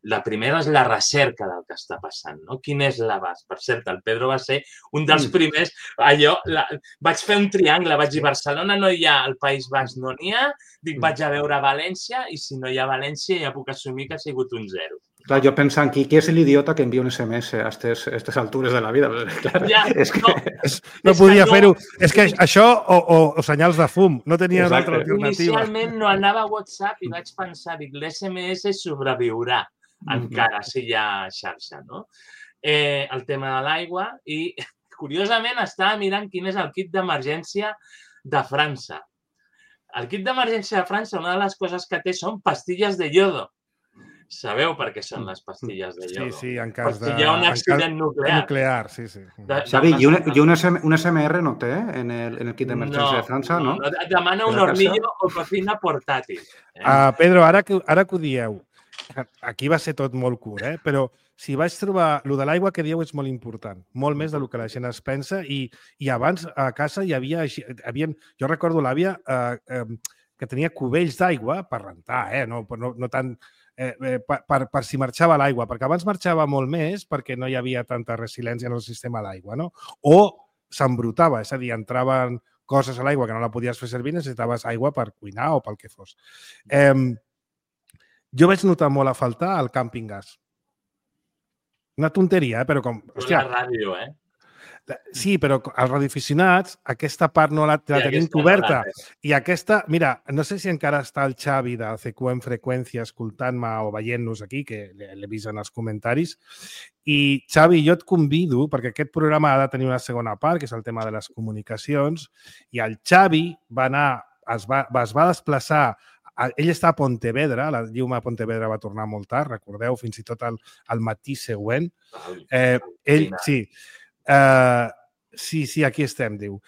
la primera és la recerca del que està passant, no? Quin és l'abast? Per cert, el Pedro va ser un dels primers... Vaig fer un triangle, vaig dir, Barcelona no hi ha, al País Basc no n'hi ha, dic, vaig a veure València i si no hi ha València ja puc assumir que ha sigut un 0. Clar, jo pensant, qui és l'idiota que envia un SMS a aquestes altures de la vida? Clar, ja, no podia fer-ho. És que això o senyals de fum, no tenia una altra alternativa. Inicialment no anava a WhatsApp i vaig pensar, dic, l'SMS sobreviurà encara si hi ha xarxa, no? El tema de l'aigua i, curiosament, estava mirant quin és el kit d'emergència de França. El kit d'emergència de França, una de les coses que té són pastilles de iodo. Sabeu per què són les pastilles de iodo? Sí, en cas de... Hi ha un accident nuclear. Sí. Xavi, i un SMR no té en el kit d'emergència de França, no? No, et demana un hornillo o cocina portàtil. Pedro, ara que ho dieu, aquí va ser tot molt curt, però si vaig trobar... Lo de l'aigua que dieu és molt important, molt més del que la gent es pensa, i abans a casa hi havia... Jo recordo l'àvia que tenia cubells d'aigua per rentar, no tant... per si marxava l'aigua, perquè abans marxava molt més perquè no hi havia tanta resiliència en el sistema d'aigua, no? O s'embrutava, és a dir, entraven coses a l'aigua que no la podies fer servir, necessitaves aigua per cuinar o pel que fos. Jo vaig notar molt a faltar el càmping gas. Una tonteria, però com... Hòstia, la ràdio, Sí, però els radioaficionats, aquesta part no la tenim coberta. I aquesta... Mira, no sé si encara està el Xavi de CQ en freqüència escoltant-me o veient-nos aquí, que l'he vist en els comentaris. I, Xavi, jo et convido, perquè aquest programa ha de tenir una segona part, que és el tema de les comunicacions, i el Xavi va anar, es va desplaçar. Ell està a Pontevedra, la llum a Pontevedra va tornar molt tard, recordeu, fins i tot al matí següent. Ell, sí. Sí, aquí estem, diu.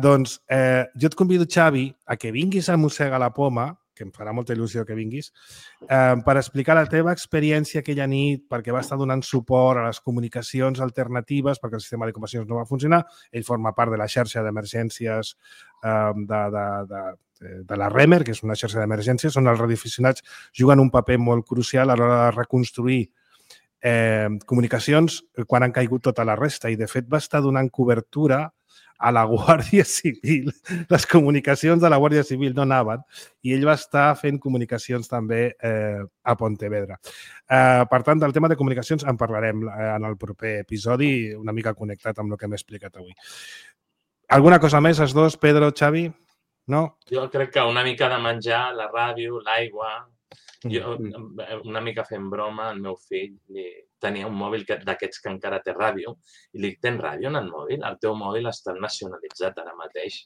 Doncs jo et convido, Xavi, a que vinguis a Mossega la Poma, que em farà molta il·lusió que vinguis, per explicar la teva experiència aquella nit, perquè va estar donant suport a les comunicacions alternatives, perquè el sistema de comunicacions no va funcionar. Ell forma part de la xarxa d'emergències de la REMER, que és una xarxa d'emergències, on els radioaficionats juguen un paper molt crucial a l'hora de reconstruir comunicacions quan han caigut tota la resta, i de fet va estar donant cobertura a la Guàrdia Civil. Les comunicacions de la Guàrdia Civil no anaven i ell va estar fent comunicacions també a Pontevedra. Per tant, del tema de comunicacions en parlarem en el proper episodi, una mica connectat amb el que m'he explicat avui. Alguna cosa més, els dos, Pedro, Xavi? No? Jo crec que una mica de menjar, la ràdio, l'aigua... Jo, una mica fent broma, el meu fill tenia un mòbil d'aquests que encara té ràdio i li dic, tens ràdio en el mòbil? El teu mòbil està nacionalitzat ara mateix.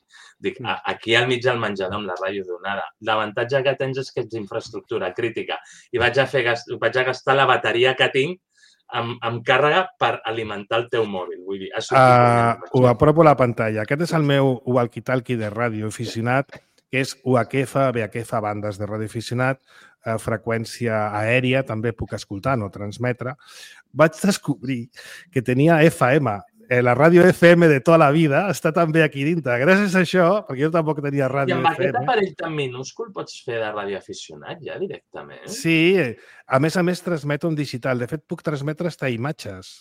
Dic, aquí al mig del menjador amb la ràdio donada. L'avantatge que tens és que ets infraestructura crítica i vaig a gastar la bateria que tinc amb càrrega per alimentar el teu mòbil. Vull dir, ho apropo a la pantalla. Aquest és el meu walkie-talkie de ràdio aficionat, que és UHF, VHF, bandes de radioaficionat, freqüència aèria, també puc escoltar, no transmetre. Vaig descobrir que tenia FM, la ràdio FM de tota la vida, està també aquí dintre. Gràcies a això, perquè jo tampoc tenia ràdio FM. I amb aquest aparell tan minúscul pots fer de radioaficionat ja directament? Sí, a més transmeto en digital. De fet, puc transmetre fins imatges.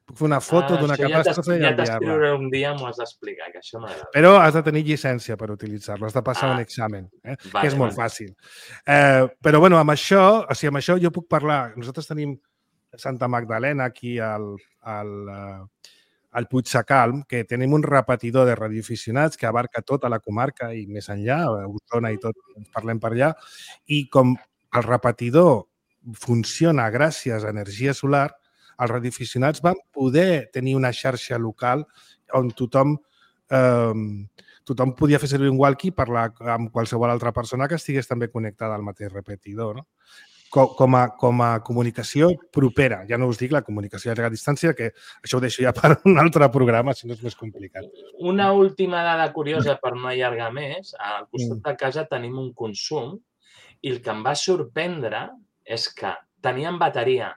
Puc fer una foto d'una catàstrofe i enviar-la. Ja t'escriuré un dia, m'ho has d'explicar, que això m'agrada. Però has de tenir llicència per utilitzar-lo, has de passar un examen, que és molt fàcil. Però, bueno, amb això jo puc parlar. Nosaltres tenim Santa Magdalena aquí al Puigsacalm, que tenim un repetidor de radioaficionats que abarca tota la comarca i més enllà, Osona i tot, parlem per allà, i com el repetidor funciona gràcies a energia solar, els radioaficionats van poder tenir una xarxa local on tothom podia fer servir un walkie i parlar amb qualsevol altra persona que estigués també connectada al mateix repetidor. Com a comunicació propera. Ja no us dic la comunicació a llarga distància, que això ho deixo ja per un altre programa, si no és més complicat. Una última dada curiosa per no allargar més. Al costat de casa tenim un consum i el que em va sorprendre és que tenien bateria.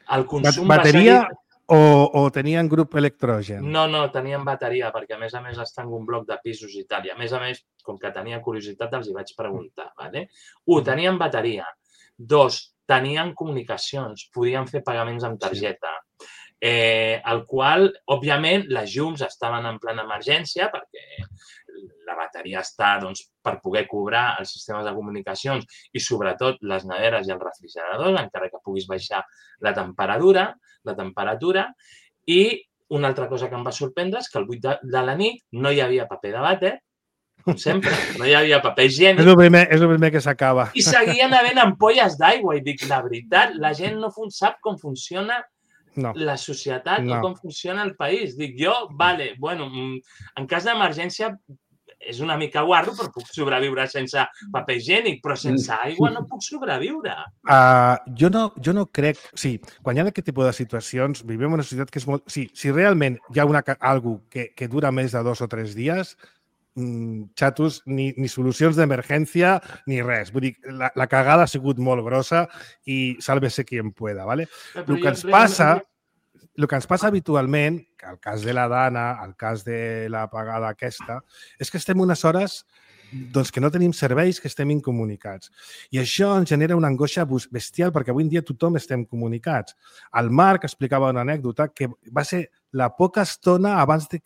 El consum bateria o tenien grup electrogen? No, tenien bateria, perquè a més estan en un bloc de pisos i tal. I a més, com que tenia curiositat, els hi vaig preguntar. Tenien bateria. 2, tenien comunicacions, podien fer pagaments amb targeta. El qual, òbviament, les llums estaven en plena emergència, perquè la bateria està per poder cobrar els sistemes de comunicacions i, sobretot, les neveres i els refrigeradors, encara que puguis baixar la temperatura. I una altra cosa que em va sorprendre és que al 8 de la nit no hi havia paper de vàter, com sempre, no hi havia paper higiènic. És el primer que s'acaba. I seguien havent ampolles d'aigua. I dic, la veritat, la gent no sap com funciona la societat o com funciona el país. Dic, jo, en cas d'emergència, és una mica guarro, però puc sobreviure sense paper higiènic, però sense aigua no puc sobreviure. Jo no crec... Sí, quan hi ha aquest tipus de situacions, vivim en una societat que és molt... Sí, si realment hi ha algo que dura més de 2 o 3 dies, xatos, ni solucions d'emergència ni res. Vull dir, la cagada ha sigut molt grossa i sálvese quien pueda, ¿vale? El que ens passa habitualment, que el cas de la Dana, el cas de la pagada aquesta, és que estem unes hores doncs, que no tenim serveis, que estem incomunicats. I això ens genera una angoixa bestial perquè avui en dia tothom estem comunicats. El Marc explicava una anècdota que va ser la poca estona abans de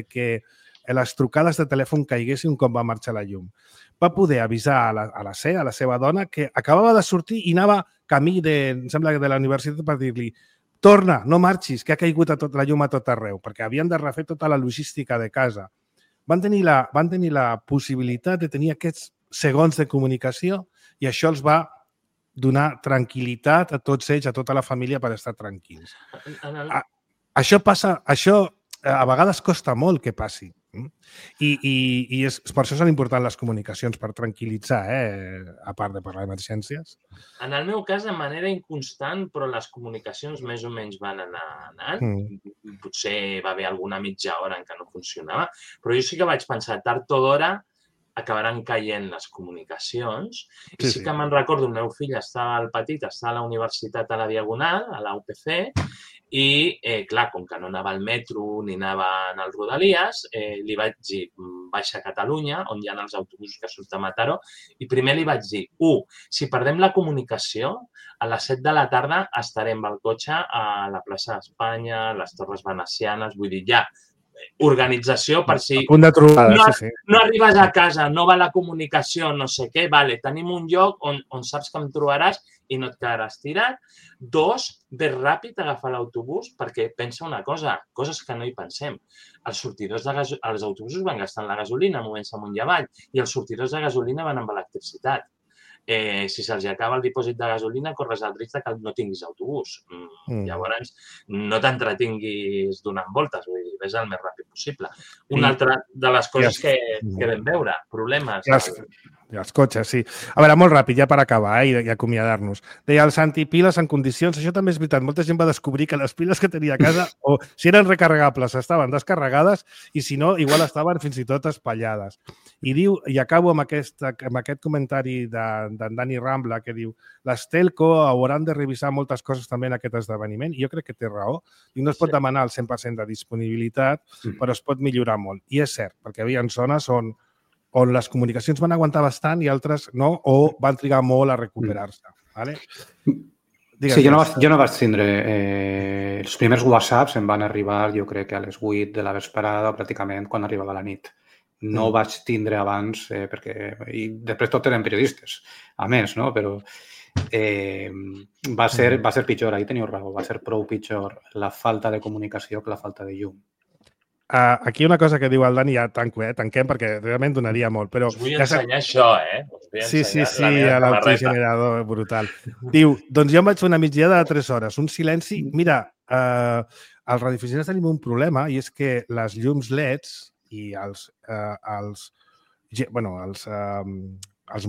que les trucades de telèfon caiguessin quan va marxar la llum. Va poder avisar a la seva dona, que acabava de sortir i anava camí em sembla, de la universitat per dir-li torna, no marxis, que ha caigut la llum a tot arreu, perquè havien de refer tota la logística de casa. Van tenir la possibilitat de tenir aquests segons de comunicació i això els va donar tranquil·litat a tots ells, a tota la família, per estar tranquils. Això a vegades costa molt que passi. I per això són importants les comunicacions, per tranquil·litzar, a part de parlar d'emergències. En el meu cas, de manera inconstant, però les comunicacions més o menys van anar anant. Potser va haver alguna mitja hora en què no funcionava, però jo sí que vaig pensar, tard o d'hora acabaran caient les comunicacions. I sí que me'n recordo, el meu fill estava al petit, estava a la universitat a la Diagonal, a la UPC, i, clar, com que no anava al metro ni anava als Rodalies, li vaig dir, baixa a Catalunya, on hi ha els autobusos que surten a Mataró, i primer li vaig dir, si perdem la comunicació, a les 7 de la tarda estarem al cotxe a la plaça d'Espanya, a les Torres Venecianes, vull dir, ja, organització per si a punt de trobada, no arribes a casa, no va la comunicació, no sé què, tenim un lloc on saps que em trobaràs i no et quedaràs tirat. 2, ves ràpid a agafar l'autobús perquè pensa una cosa, coses que no hi pensem. Els autobusos van gastant la gasolina movent-se amunt i avall i els sortidors de gasolina van amb electricitat. Si se'ls acaba el dipòsit de gasolina, corres el risc que no tinguis autobús. Llavors, no t'entretinguis donant voltes, vull dir, ves el més ràpid possible. Una altra de les coses que vam veure, problemes. I els cotxes, sí. A veure, molt ràpid, ja per acabar i acomiadar-nos. Deia el Santi, piles en condicions. Això també és veritat. Molta gent va descobrir que les piles que tenia a casa, o si eren recarregables, estaven descarregades i si no, igual estaven fins i tot espatllades. I diu, i acabo amb aquest comentari d'en Dani Rambla, que diu les telco hauran de revisar moltes coses també en aquest esdeveniment, i jo crec que té raó. I no es pot demanar el 100% de disponibilitat, però es pot millorar molt. I és cert, perquè hi havia zones on les comunicacions van aguantar bastant i altres no, o van trigar molt a recuperar-se. ¿Vale? Sí, jo no vaig tindre... Els primers whatsapps em van arribar, jo crec que a les 8 de la vesprada, pràcticament, quan arribava la nit. No vaig tindre abans, perquè... I després tot eren periodistes, a més, no? Però va ser pitjor, ahí teniu raó, va ser prou pitjor la falta de comunicació que la falta de llum. Aquí una cosa que diu el Dani, ja tanquem perquè realment donaria molt. Però us vull ensenyar això, Sí, a l'autogenerador, brutal. Diu, doncs jo em vaig fer una migdiada de 3 hores, un silenci. Mira, als radioaficionats tenim un problema i és que les llums LEDs i els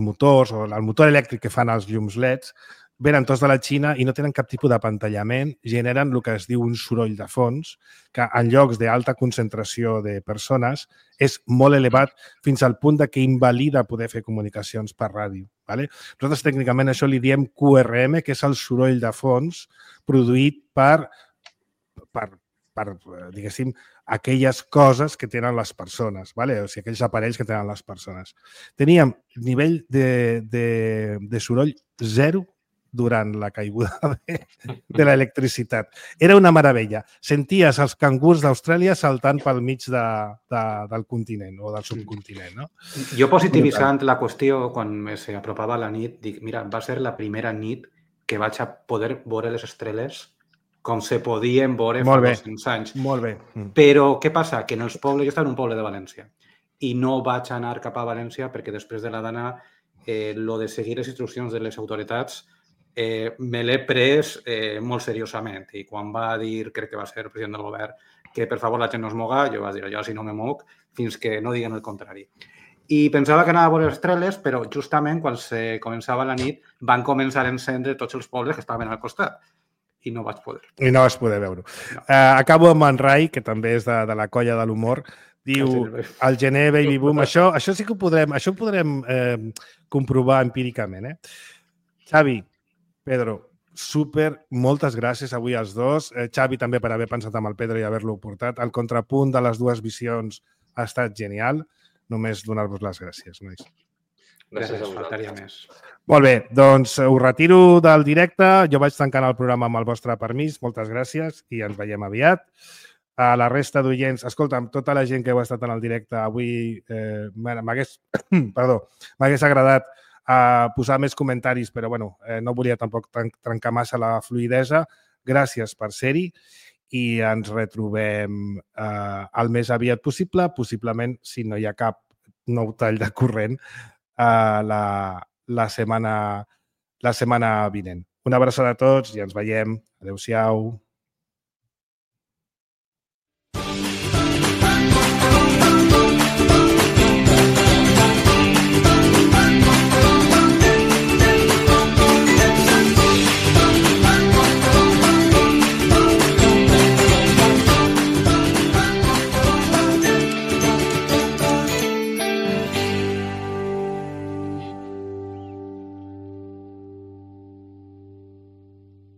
motors o el motor elèctric que fan els llums LEDs venen tots de la Xina i no tenen cap tipus d'apantallament, generen el que es diu un soroll de fons, que en llocs d'alta concentració de persones és molt elevat fins al punt que invalida poder fer comunicacions per ràdio. ¿Vale? Nosaltres tècnicament això li diem QRM, que és el soroll de fons produït per diguéssim, aquelles coses que tenen les persones, ¿vale? O sigui, aquells aparells que tenen les persones. Teníem nivell de soroll 0 durant la caiguda de l'electricitat. Era una meravella. Senties els cangurs d'Austràlia saltant pel mig del continent o del subcontinent. No? Jo positivitzant la qüestió, quan s'apropava la nit, dic, mira, va ser la primera nit que vaig a poder veure les estrelles com se podien veure fa 200 anys. Molt bé. Però què passa? Que en els pobles, jo estava en un poble de València i no vaig anar cap a València perquè després de la Dana lo de seguir les instruccions de les autoritats me l'he pres molt seriosament i quan va dir, crec que va ser el president del govern, que per favor la gent no es moga, jo vaig dir, jo si no me moc, fins que no diguen el contrari. I pensava que anava a veure les estreles, però justament quan se començava la nit van començar a encendre tots els pobles que estaven al costat i no vaig poder. I no vas poder veure-ho. No. Acabo amb en Rai, que també és de la colla de l'humor. Diu, el gener baby boom, això sí que ho podrem comprovar empíricament. Xavi, Pedro, moltes gràcies avui als dos. Xavi també per haver pensat amb el Pedro i haver-lo portat. El contrapunt de les dues visions ha estat genial. Només donar-vos les gràcies, nois. Gràcies a vosaltres. Molt bé, doncs ho retiro del directe. Jo vaig tancant el programa amb el vostre permís. Moltes gràcies i ens veiem aviat. A la resta d'oients, escolta'm, tota la gent que heu estat en el directe avui m'hagués agradat posar més comentaris, però bueno, no volia tampoc trencar massa la fluïdesa. Gràcies per ser-hi i ens retrobem el més aviat possible, possiblement, si no hi ha cap nou tall de corrent, la setmana vinent. Una abraçada a tots i ens veiem. Adéu-siau.